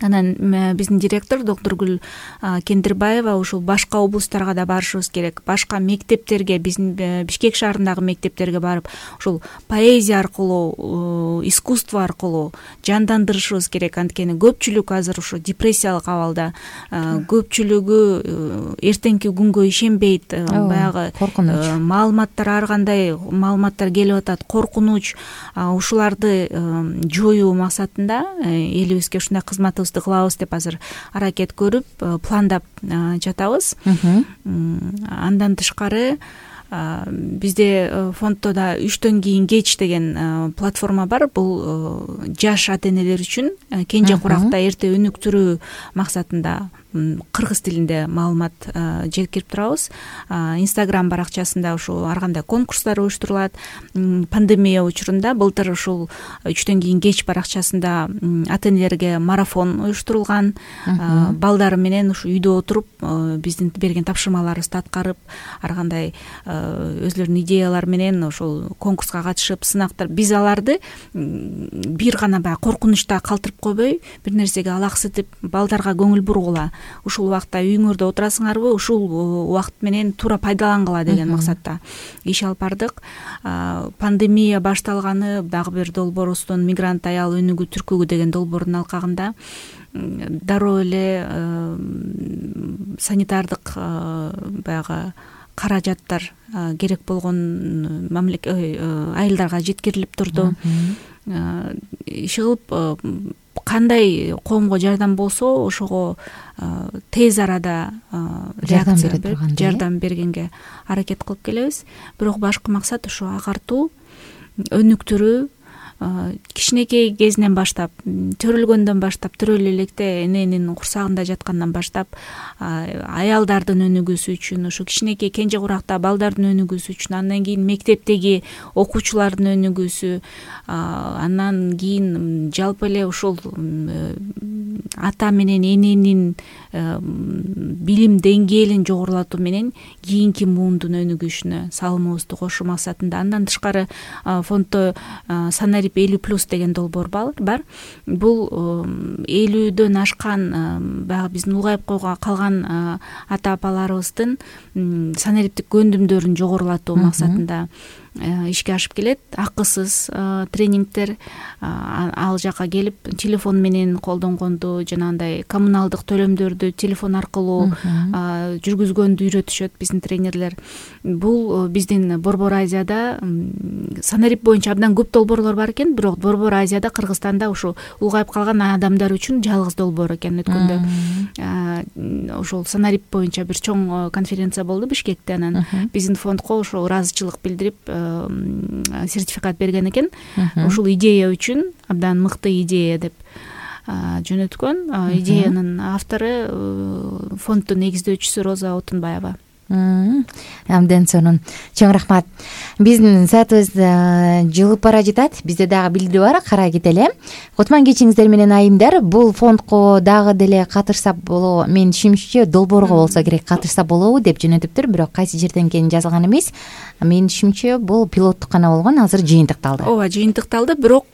Анан биздин директор доктургүл Кендирбаева ушул башка облустарга да барышыбыз керек, башка мектептерге, биздин Бишкек шаарындагы мектептерге барып, ушул поэзия аркылуу, искусство аркылуу жандандырышыбыз керек. Анткени көпчүлүк азыр ушу депрессиялык абалда, көпчүлүгү эртеңки күнгө ишенбейт, баягы маалыматтар, ар кандай маалыматтар келип атат, коркунуч. Ушуларды жоюу максатында элибизге ушундай кызматыбызды кылабыз деп азыр аракет көрүп, пландап жатабыз. Андан тышкары бизде фонддо да 3төн кийин кеч деген платформа бар. Бул жаш ата энелер үчүн кенже куракта эрте өнүктүрүү максатында кыргыз тилинде маалымат жеткирип турабыз. Инстаграм баракчасында ушул ар кандай конкурстар уюштурулат. Пандемия учурунда былтыр ушул 3төн кийин кеч баракчасында ата энелерге марафон уюштурулган. Балдары менен ушу үйдө отуруп, биздин берген тапшырмаларыбызды аткарып, ар кандай өзлөрүнүн идеялары менен ошол конкурска катышып, сынактар. Биз аларды бир гана баягы коркунучта калтырып койбой, бир нерсеге алаксытып, балдарга көңүл бургула. Ушул убакта үйүңөрдө отурасыңарбы, ушул убакыт менен туура пайдалангыла деген максатта иш алып бардык. Пандемия башталганы дагы бир долбоорубуздун мигрант аял өнүгүү түркүгү деген долбоордун алкагында дароо эле санитардык баягы каражаттар керек болгон айылдарга жеткирилип турду. Иши кылып, кандай коомго жардам болсо ошого тез арада реакция берип, жардам бергенге аракет кылып келебиз. Бирок башкы максат ушу агартуу, өнүктүрүү. Кичинекей кезинен баштап, төрөлгөндөн баштап, төрөлө электе эненин курсагында жаткандан баштап аялдардын өнүгүүсү үчүн, ушу кичинекей кенже куракта балдардын өнүгүүсү үчүн, андан кийин мектептеги окуучулардын өнүгүүсү, андан кийин жалпы эле ушул ата менен эненин билим деңгээлин жогорулатуу менен кийинки муундун өнүгүшүнө салымыбызды кошуу максатында. Андан тышкары фонддо Санарип 50+ деген долбоор бар. Бул 50дөн ашкан баягы биздин улгайып калган ата апаларыбыздын санариптик көндүмдөрүн жогорулатуу максатында ишке ашып келет. Акысыз тренингдер, ал жака келип телефон менен колдонгонду, жанагындай коммуналдык төлөмдөрдү телефон аркылуу жүргүзгөндү үйрөтүшөт биздин тренерлер. Бул биздин Борбор Азияда санарип боюнча абдан көп долбоорлор бар экен, бирок Борбор Азияда, Кыргызстанда ушу улгайып калган адамдар үчүн жалгыз долбоор экен. Өткөндө ошол санарип боюнча бир чоң конференция болду Бишкекте. Анан биздин фондко ошо ыраазычылык билдирип сертификат берген экен. Ушул идея үчүн абдан мыкты идея деп жөнөткөн. Идеянын автору фонддун негиздөөчүсү Роза Отунбаева. Абдан сонун. Чоң рахмат. Биздин саатыбыз жылып бара жатат. Бизде дагы билдирүү бар, карай кетели. Кутман кечиңиздер менен айымдар. Бул фондко дагы деле катышса болобу? Мен түшүнүшүмчө долбоорго болсо керек катышса болобу деп жөнөтүптүр, бирок кайсы жерден экенин жазылган эмес. Мен түшүнүмчө бул пилоттук гана болгон, азыр жыйынтыкталды. Ооба, жыйынтыкталды, бирок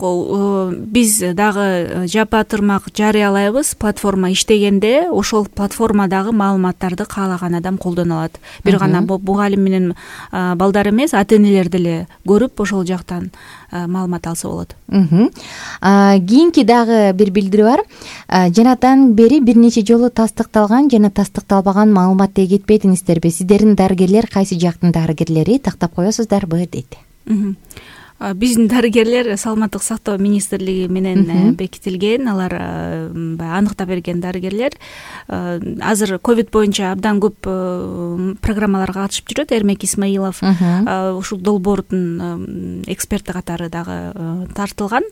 биз дагы жапа-тырмак жарыялайбыз. Платформа иштегенде ошол платформадагы маалыматтарды каалаган адам колдоно алат. Бир гана мугалим менен балдар эмес, ата энелер деле көрүп ошол жактан маалымат алса болот. Кийинки дагы бир билдирүү бар. Жанатан бери бир нече жолу тастыкталган жана тастыкталбаган маалымат деп кетпедиңиздерби? Сиздердин дарыгерлер кайсы жактын дарыгерлери, тактап коесуздарбы дейт. Биздин дарыгерлер саламаттык сактоо министрлиги менен бекитилген, алар баягы аныктап берген дарыгерлер. Азыр ковид боюнча абдан көп программаларга катышып жүрөт. Эрмек Исмаилов ушул долбоордун эксперти катары дагы тартылган.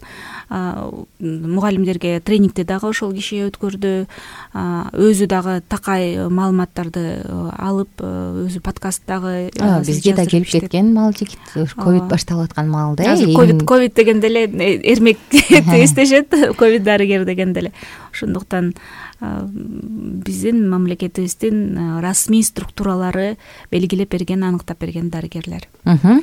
Мугалимдерге тренингди дагы ошол киши өткөрдү. Өзү дагы такай маалыматтарды алып, өзү подкаст дагы бизге да келип кеткен мал жигит, ковид башталып аткан маалда. Ковид дегенде эле эрмекти эстешет, ковид дарыгер дегенде эле. Ошондуктан биздин мамлекетибиздин расмий структуралары белгилеп берген, аныктап берген дарыгерлер.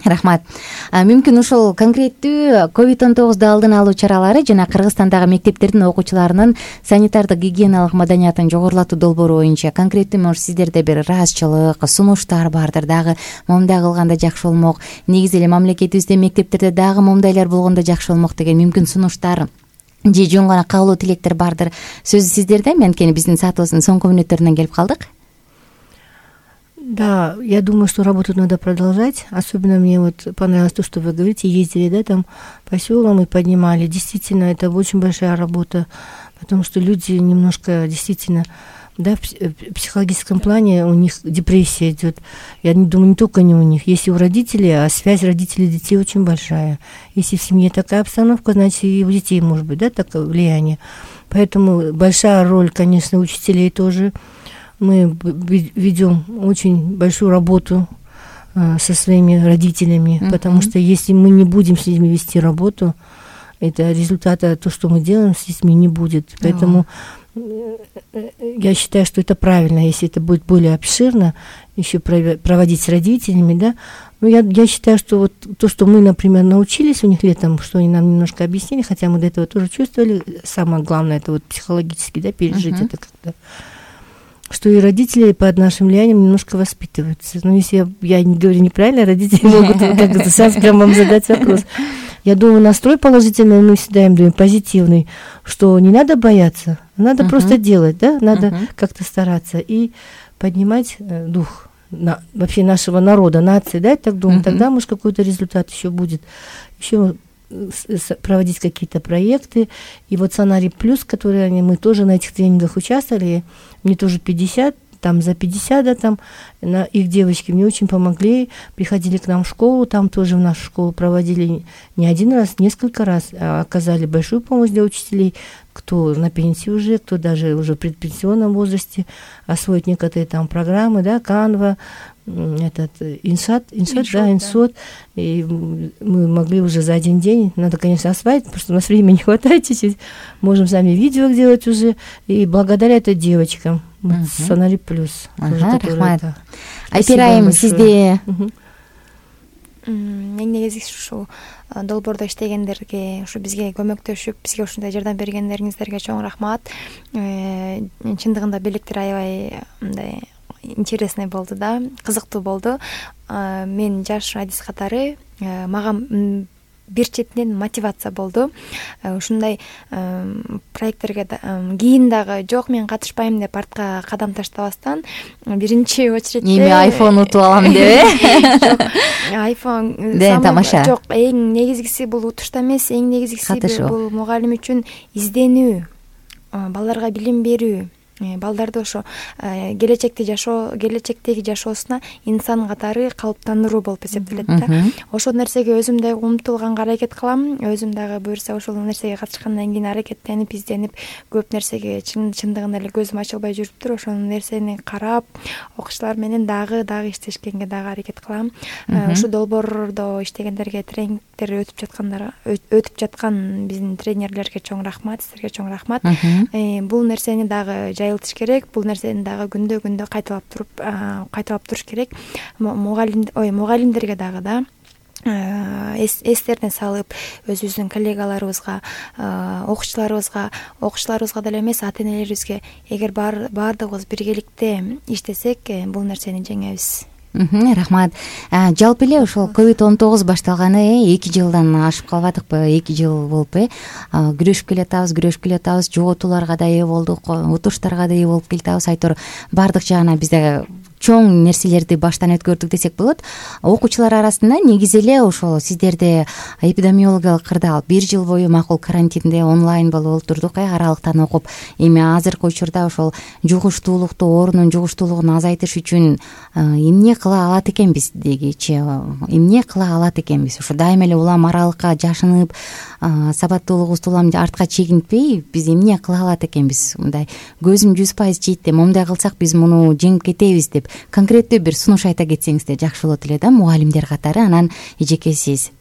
Рахмат. Мүмкүн ушул конкреттүү COVID-19 алдын алуу чаралары жана Кыргызстандагы мектептердин окуучуларынын санитардык гигиеналык маданиятын жогорулатуу долбоору боюнча конкреттүү может сиздерде бир ыраазычылык, сунуштар бардыр, дагы момундай кылганда жакшы болмок, негизи эле мамлекетибизде мектептерде дагы момундайлар болгондо жакшы болмок деген мүмкүн сунуштар же жөн гана каалоо тилектер бардыр. Сөз сиздерде. Анткени биздин саатыбыздын соңку мүнөттөрүнө келип калдык. Да, я думаю, что работу надо продолжать. Особенно мне вот понравилось то, что вы говорите, ездили, да, там по селам и поднимали. Действительно, это очень большая работа, потому что люди немножко действительно, да, в психологическом плане у них депрессия идет. Я не думаю, не только не у них. Если у родителей, а связь родителей и детей очень большая. Если в семье такая обстановка, значит и у детей может быть, да, такое влияние. Поэтому большая роль, конечно, учителей тоже. Мы ведем очень большую работу со своими родителями, потому что если мы не будем с ними вести работу, это результата, то, что мы делаем с детьми, не будет. Поэтому я считаю, что это правильно, если это будет более обширно, еще проводить с родителями, да. Но я считаю, что вот то, что мы, например, научились у них летом, что они нам немножко объяснили, хотя мы до этого тоже чувствовали, самое главное, это вот психологически, да, пережить это как-то, что и родители под нашим влиянием немножко воспитываются. Но если я не говорю неправильно, родители могут как-то сейчас прям вам задать вопрос. Я думаю, настрой положительный мы всегда им даем, позитивный, что не надо бояться, надо просто делать, да, надо как-то стараться и поднимать дух вообще нашего народа, нации, да, я так думаю, тогда, может, какой-то результат еще будет, еще проводить какие-то проекты. И вот Сценарий Плюс, которые мы тоже на этих тренингах участвовали, мне тоже 50, там за 50, да, там их девочки мне очень помогли, приходили к нам в школу, там тоже в нашу школу проводили не один раз, несколько раз, оказали большую помощь для учителей, кто на пенсии уже, кто даже уже в предпенсионном возрасте, освоить некоторые там программы, да, Canva, этот Инсот, и мы могли уже за один день, надо, конечно, осваивать, потому что у нас времени не хватает чуть-чуть, можем сами видео делать уже, и благодаря этой девочкам, Сценарий Плюс. Рахмат. Айпирайым, сизде Мен негизи ушу долбоордо иштегендерге, ушу бизге көмөктөшүп, бизге ушундай жардам бергендериңиздерге чоң рахмат. Чындыгында белектер аябай мындай интересный болду да, кызыктуу болду. Мен жаш адис катары мага бир четинен мотивация болду. Ушундай проекттерге кийин дагы жок, мен катышпайм деп артка кадам таштабастан биринчи очередде эми айфон утуп алам деп жок, айфон тамаша. Жок, эң негизгиси бул утушта эмес, эң негизгиси бул мугалим үчүн изденүү, балдарга билим берүү. Балдарды ошо келечектеги жашоосуна инсан катары калыптандыруу болуп эсептелет да. Ошол нерсеге өзүм дагы умтулганга аракет кылам. Өзүм дагы буюрса ошол нерсеге катышкандан кийин аракеттенип, изденип, көп нерсеге чындыгында эле көзүм ачылбай жүрүптүр. Ошол нерсени карап, окуучулар менен дагы иштешкенге дагы аракет кылам. Ушу долбоордо иштегендерге, тренингдер өтүп жаткан биздин тренерлерге чоң рахмат, силерге чоң рахмат. Бул нерсени дагы жайылтыш керек, бул нерсени дагы күндө кайталап туруш керек. Мугалимдерге дагы да эстерине салып, өзүбүздүн коллегаларыбызга, окуучуларыбызга деле эмес, ата-энелерибизге, эгер баардыгыбыз биргеликте иштесек, бул нерсени жеңебиз. Рахмат. Жалпы эле ошол COVID-19 башталганы 2 жылдан ашып калбадыкпы? 2 жыл болупу? Күрөшүп келатабыз, жоготууларга да ээ болдук, утуштарга да ээ болуп келатабыз. Айтор баардык жагына бизде чоң нерселерди баштан өткөрдүк десек болот. Окуучулар арасында негизи эле ошол сиздерде эпидемиологиялык кырдаал 1 жыл бою макул карантинде онлайн болуп отурдук, аралыктан окуп. Эми азыркы учурда ошол жугуштуулукту, оорунун жугуштуулугун азайтыш үчүн эмне кыла алат экенбиз дегичи, эмне кыла алат экенбиз? Ошо дайыма эле улам аралыкка жашынып, сабаттуулугубузду улам артка чегинтпей, биз эмне кыла алат экенбиз? Мындай көзүм 100% жийт, момундай кылсак биз муну жеңип кетебиз деп конкреттүү бир сунуш айта кетсеңиздер жакшы болот эле да, мугалимдер катары. Анан эжеке сиз.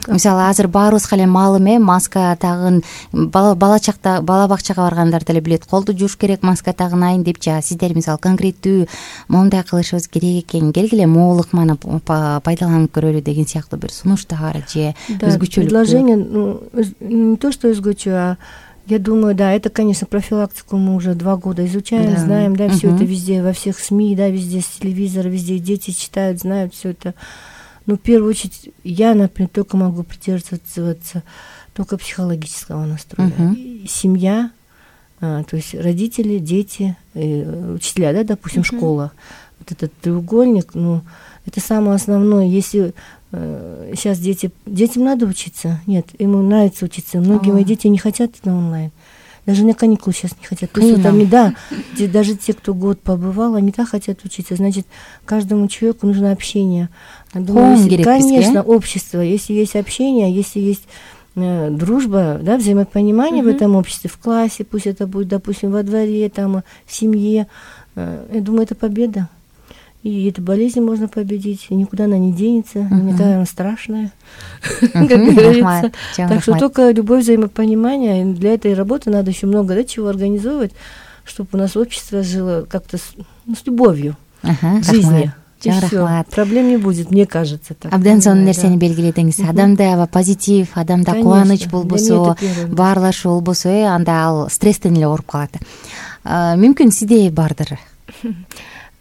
Мисалы азыр баарыбызга эле маалым, маска тагын, бала бакчага баргандар деле билет, колду жууш керек, маска тагын айын депчи. Сиздер мисалы конкреттүү момундай кылышыбыз керек экен, келгиле моолук маны пайдаланып көрөлү деген сыяктуу бир сунуштар же өзгөчөлүк предложение, не то что өзгөчө, а я думаю, да, это, конечно, профилактику мы уже 2 года изучаем, знаем, да, все это везде, во всех СМИ, да, везде с телевизора, везде дети читают, знают все это. Но в первую очередь я, например, только могу придерживаться только психологического настроя. Семья, то есть родители, дети, учителя, да, допустим, школа. Вот этот треугольник, это самое основное. Если сейчас детям надо учиться, нет, ему нравится учиться. Многие мои дети не хотят на онлайн. Даже на каникулы сейчас не хотят. То есть вот они, да, даже те, кто год побывал, они так хотят учиться. Значит, каждому человеку нужно общение. Думаю, конечно, общество. Если есть общение, если есть дружба, да, взаимопонимание в этом обществе, в классе, пусть это будет, допустим, во дворе, там, в семье, я думаю, это победа. И эту болезнь можно победить, и никуда она не денется, никогда она страшная, как говорится. Так что только любовь, взаимопонимание. Для этой работы надо еще много, да, чего организовывать, чтобы у нас общество жило как-то с любовью к жизни. И все, проблем не будет, мне кажется. Абдан сонун нерсени белгиледиңиз. Адамда аба позитив, адамда кубаныч болбосо, баарлашуу болбосо, анда ал стресстен эле ооруп калат. Мүмкүн сизде бардыр?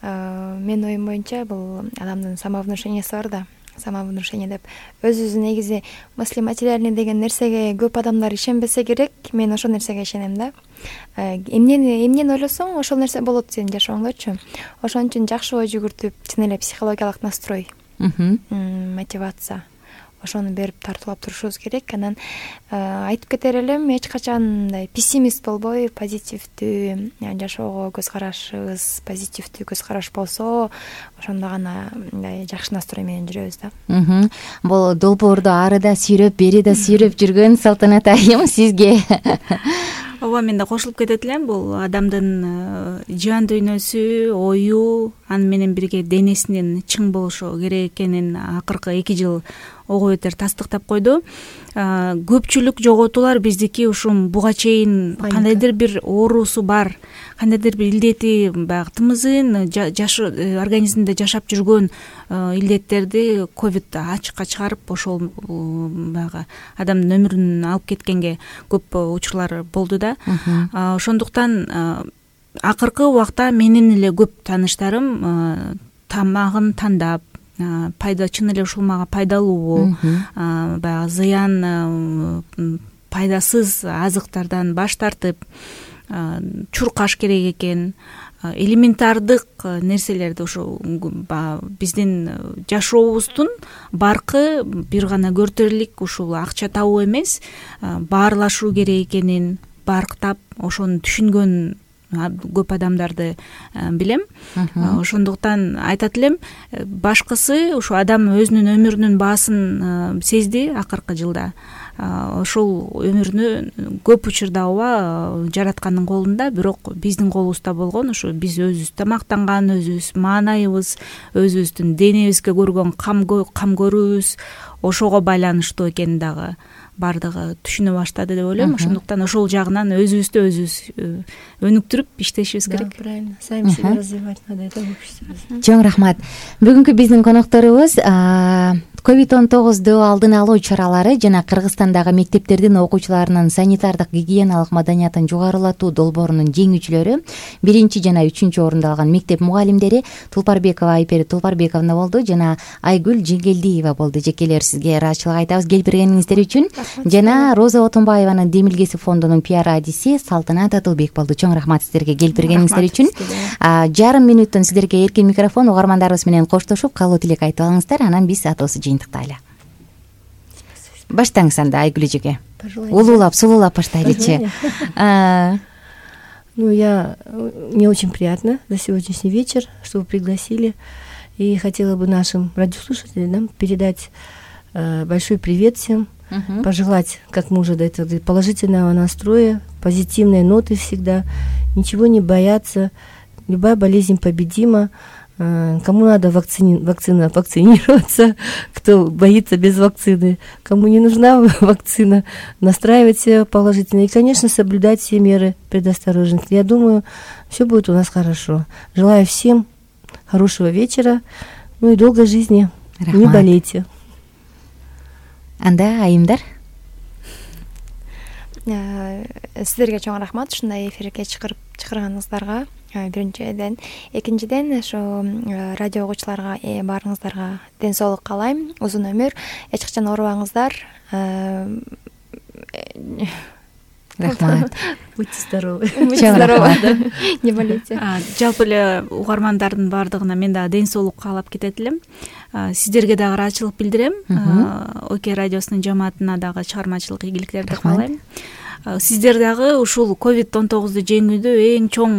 Менин оюм боюнча бул адамдын самовнушениясы бар да. Самовнушение деп өзүбүз негизи мысли материальный деген нерсеге көп адамдар ишенбесе керек. Мен ошол нерсеге ишенем да. Эмнени ойлосоң, ошол нерсе болот сенин жашооңдочу. Ошон үчүн жакшы ой жүгүртүп, чын эле психологиялык настрой, мотивация, ошону берип тартуулап турушубуз керек. Анан айтып кетер элем, эч качан мындай пессимист болбой, позитивдүү жашоого көз карашыбыз, позитивдүү көз караш болсо, ошондо гана мындай жакшы настрой менен жүрөбүз да. Бул долбоорду ары да сүйрөп, бери да сүйрөп жүргөн Салтанат айым сизге. Ооба, мен да кошулуп кетет элем. Бул адамдын жан дүйнөсү, ою, аны менен бирге денесинин чың болушу керек экенин акыркы 2 жыл ого бетер тастыктап койду. Көпчүлүк жоготуулар биздики ушум буга чейин кандайдыр бир оорусу бар, кандайдыр бир илдети, баягы тымызын организмде жашап жүргөн илдеттерди ковид ачыкка чыгарып, ошол баягы адамдын өмүрүн алып кеткенге көп учурлар болду да. Ошондуктан акыркы убакта менин эле көп тааныштарым тамагын тандап, чын эле ушул мага пайдалуубу, баягы зыян, пайдасыз азыктардан баш тартып, чуркаш керек экен, элементардык нерселерди, ушу биздин жашообуздун баркы бир гана көртөрлүк ушул акча табуу эмес, баарлашуу керек экенин барктап, ошону түшүнгөн көп адамдарды билем. Ошондуктан айтат элем, башкысы ушу адам өзүнүн өмүрүнүн баасын сезди акыркы жылда. Ошол өмүрүнү көп учурда ооба жараткандын колунда, бирок биздин колубузда болгон. Ушу биз өзүбүз тамактанган, өзүбүз маанайыбыз, өзүбүздүн денебизге көргөн кам көрүүбүз ошого байланыштуу экенин дагы бардыгы түшүнө баштады деп ойлойм. Ошондуктан ошол жагынан өзүбүздү өзүбүз өнүктүрүп иштешибиз керек. Правильно, сами себя развивать надо, это общество. Чоң рахмат. Бүгүнкү биздин конокторубуз COVID-19 алдын алуу чаралары жана Кыргызстандагы мектептердин окуучуларынын санитардык гигиеналык маданиятын жугарылатуу долбоорунун жеңүүчүлөрү 1 жана 3 орунду алган мектеп мугалимдери Тулпарбекова Айпери Тулпарбековна болду жана Айгүл Жеңгелдиева болду. Жекелер, сизге ыраазычылык айтабыз кел бергениңиздер үчүн. жана Роза Отунбаеванын Демилгеси фондунун пиар адиси Салтанат Атылбек болду. Чоң рахмат сиздерге келип бергениңиздер үчүн. Жарым минуттон сиздерге эркин микрофон, угармандарыбыз менен коштошуп каалоо тилек айтып алыңыздар, анан биз атоосу жыйынтыктайлы. Баштаңыз анда Айгүл эжеге. Улуулап, сулуулап баштайлычы. Мне очень приятно за сегодняшний вечер, что вы пригласили. И хотела бы нашим радиослушателям передать большой привет всем, пожелать, как мы уже до этого говорили, положительного настроя, позитивной ноты всегда, ничего не бояться, любая болезнь победима. Кому надо вакцинироваться, кто боится без вакцины, кому не нужна вакцина, настраивать себя положительно и, конечно, соблюдать все меры предосторожности. Я думаю, все будет у нас хорошо. Желаю всем хорошего вечера, и долгой жизни. Рахмат. Не болейте. Анда айымдар. Сиздерге чоң рахмат ушундай эфирге чакырганыңыздарга. Биринчиден, экинчиден ошо радио угуучуларга баарыңыздарга ден соолук каалайм, узун өмүр, эч качан оорубаңыздар. Рахмат. Будьте здоровы. Будьте здоровы. Не болейте. Жалпы эле угармандардын баардыгына мен дагы ден соолук каалап кетет элем. Сиздерге дагы ыраазычылык билдирем. ОК радиосунун жамаатына дагы чыгармачылык ийгиликтерди каалайм. Сиздер дагы ушул COVID-19 жеңүүдө эң чоң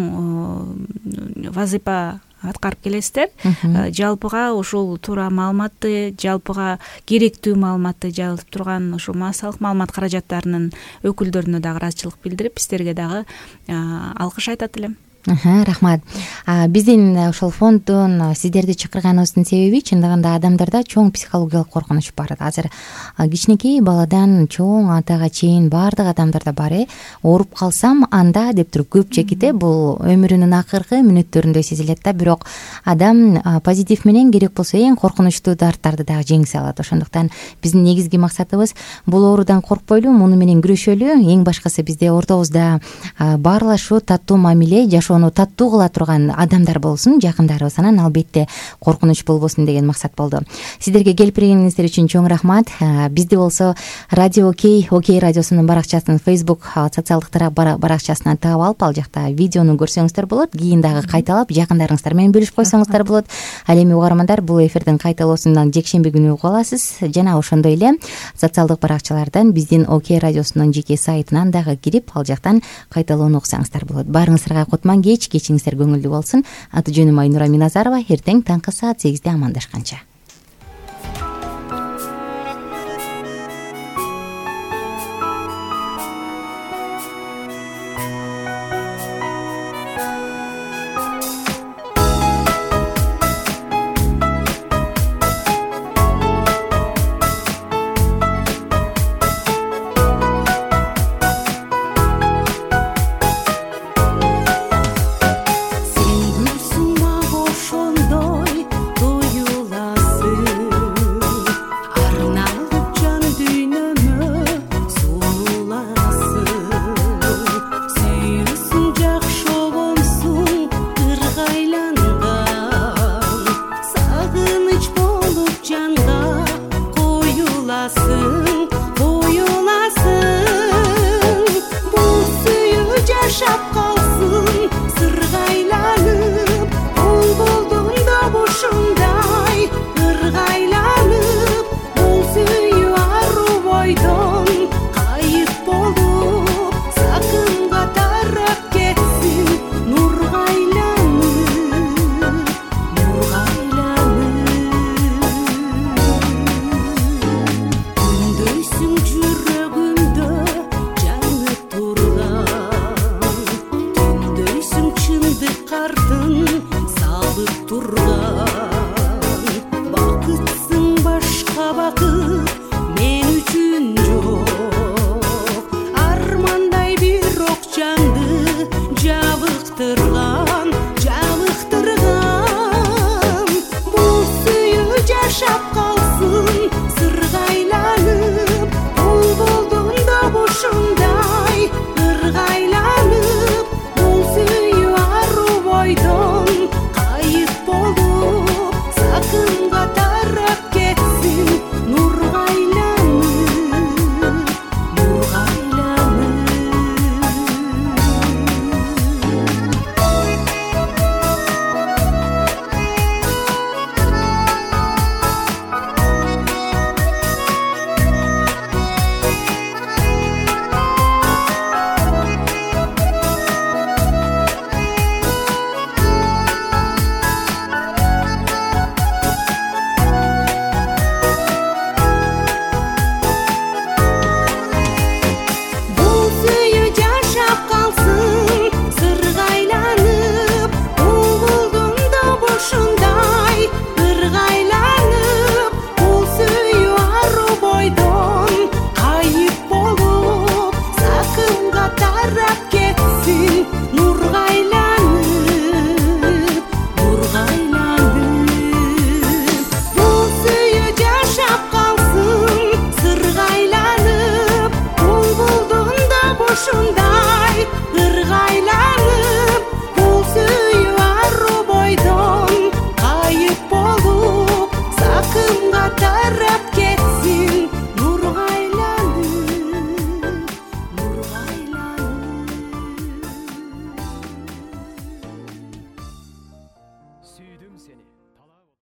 вазыйфа аткарып келесиздер. Жалпыга ушул туура маалыматты, жалпыга керектүү маалыматты жазып турган ушул массалык маалымат каражаттарынын өкүлдөрүнө дагы ыраазычылык билдирип, сиздерге дагы алкыш айтат элем. Рахмат. Биздин ошол фонддун сиздерди чакырганыбыздын себеби чындыгында адамдарда чоң психологиялык коркунуч бар. Азыр кичинекей баладан чоң атага чейин баардык адамдарда бар. Ооруп калсам анда деп туруп көпчүлүк бул өмүрүнүн акыркы мүнөттөрүндө сезилет да, бирок адам позитив менен керек болсо эң коркунучтуу дарттарды дагы жеңсе алат. Ошондуктан биздин негизги максатыбыз бул оорудан коркпойлу, муну менен күрөшөлү. Эң башкысы бизде ортобузда баарлашуу, таттуу мамиле, ошону таттуу кыла турган адамдар болсун, жакындарыбыз, анан албетте коркунуч болбосун деген максат болду. Сиздерге келип бергениңиздер үчүн чоң рахмат. Бизди болсо Радио ОК радиосунун баракчасынын Facebook социалдык тарап баракчасынан таап алып, ал жакта видеону көрсөңүздөр болот, кийин дагы кайталап жакындарыңыздар менен бөлүшүп койсоңуздар болот. Ал эми угармандар, бул эфирдин кайталоосунан жекшемби күнү угуп аласыз. Жана ошондой эле социалдык баракчалардан биздин ОК радиосунун жеке сайтынан дагы кирип, ал жактан кайталоону уксаңыздар болот. Баарыңыздарга кутман кечиңиздер көңүлдүү болсун. Аты жөнүм Айнура Миназарова. Эртең таңкы саат 8-де амандашканча. Шапка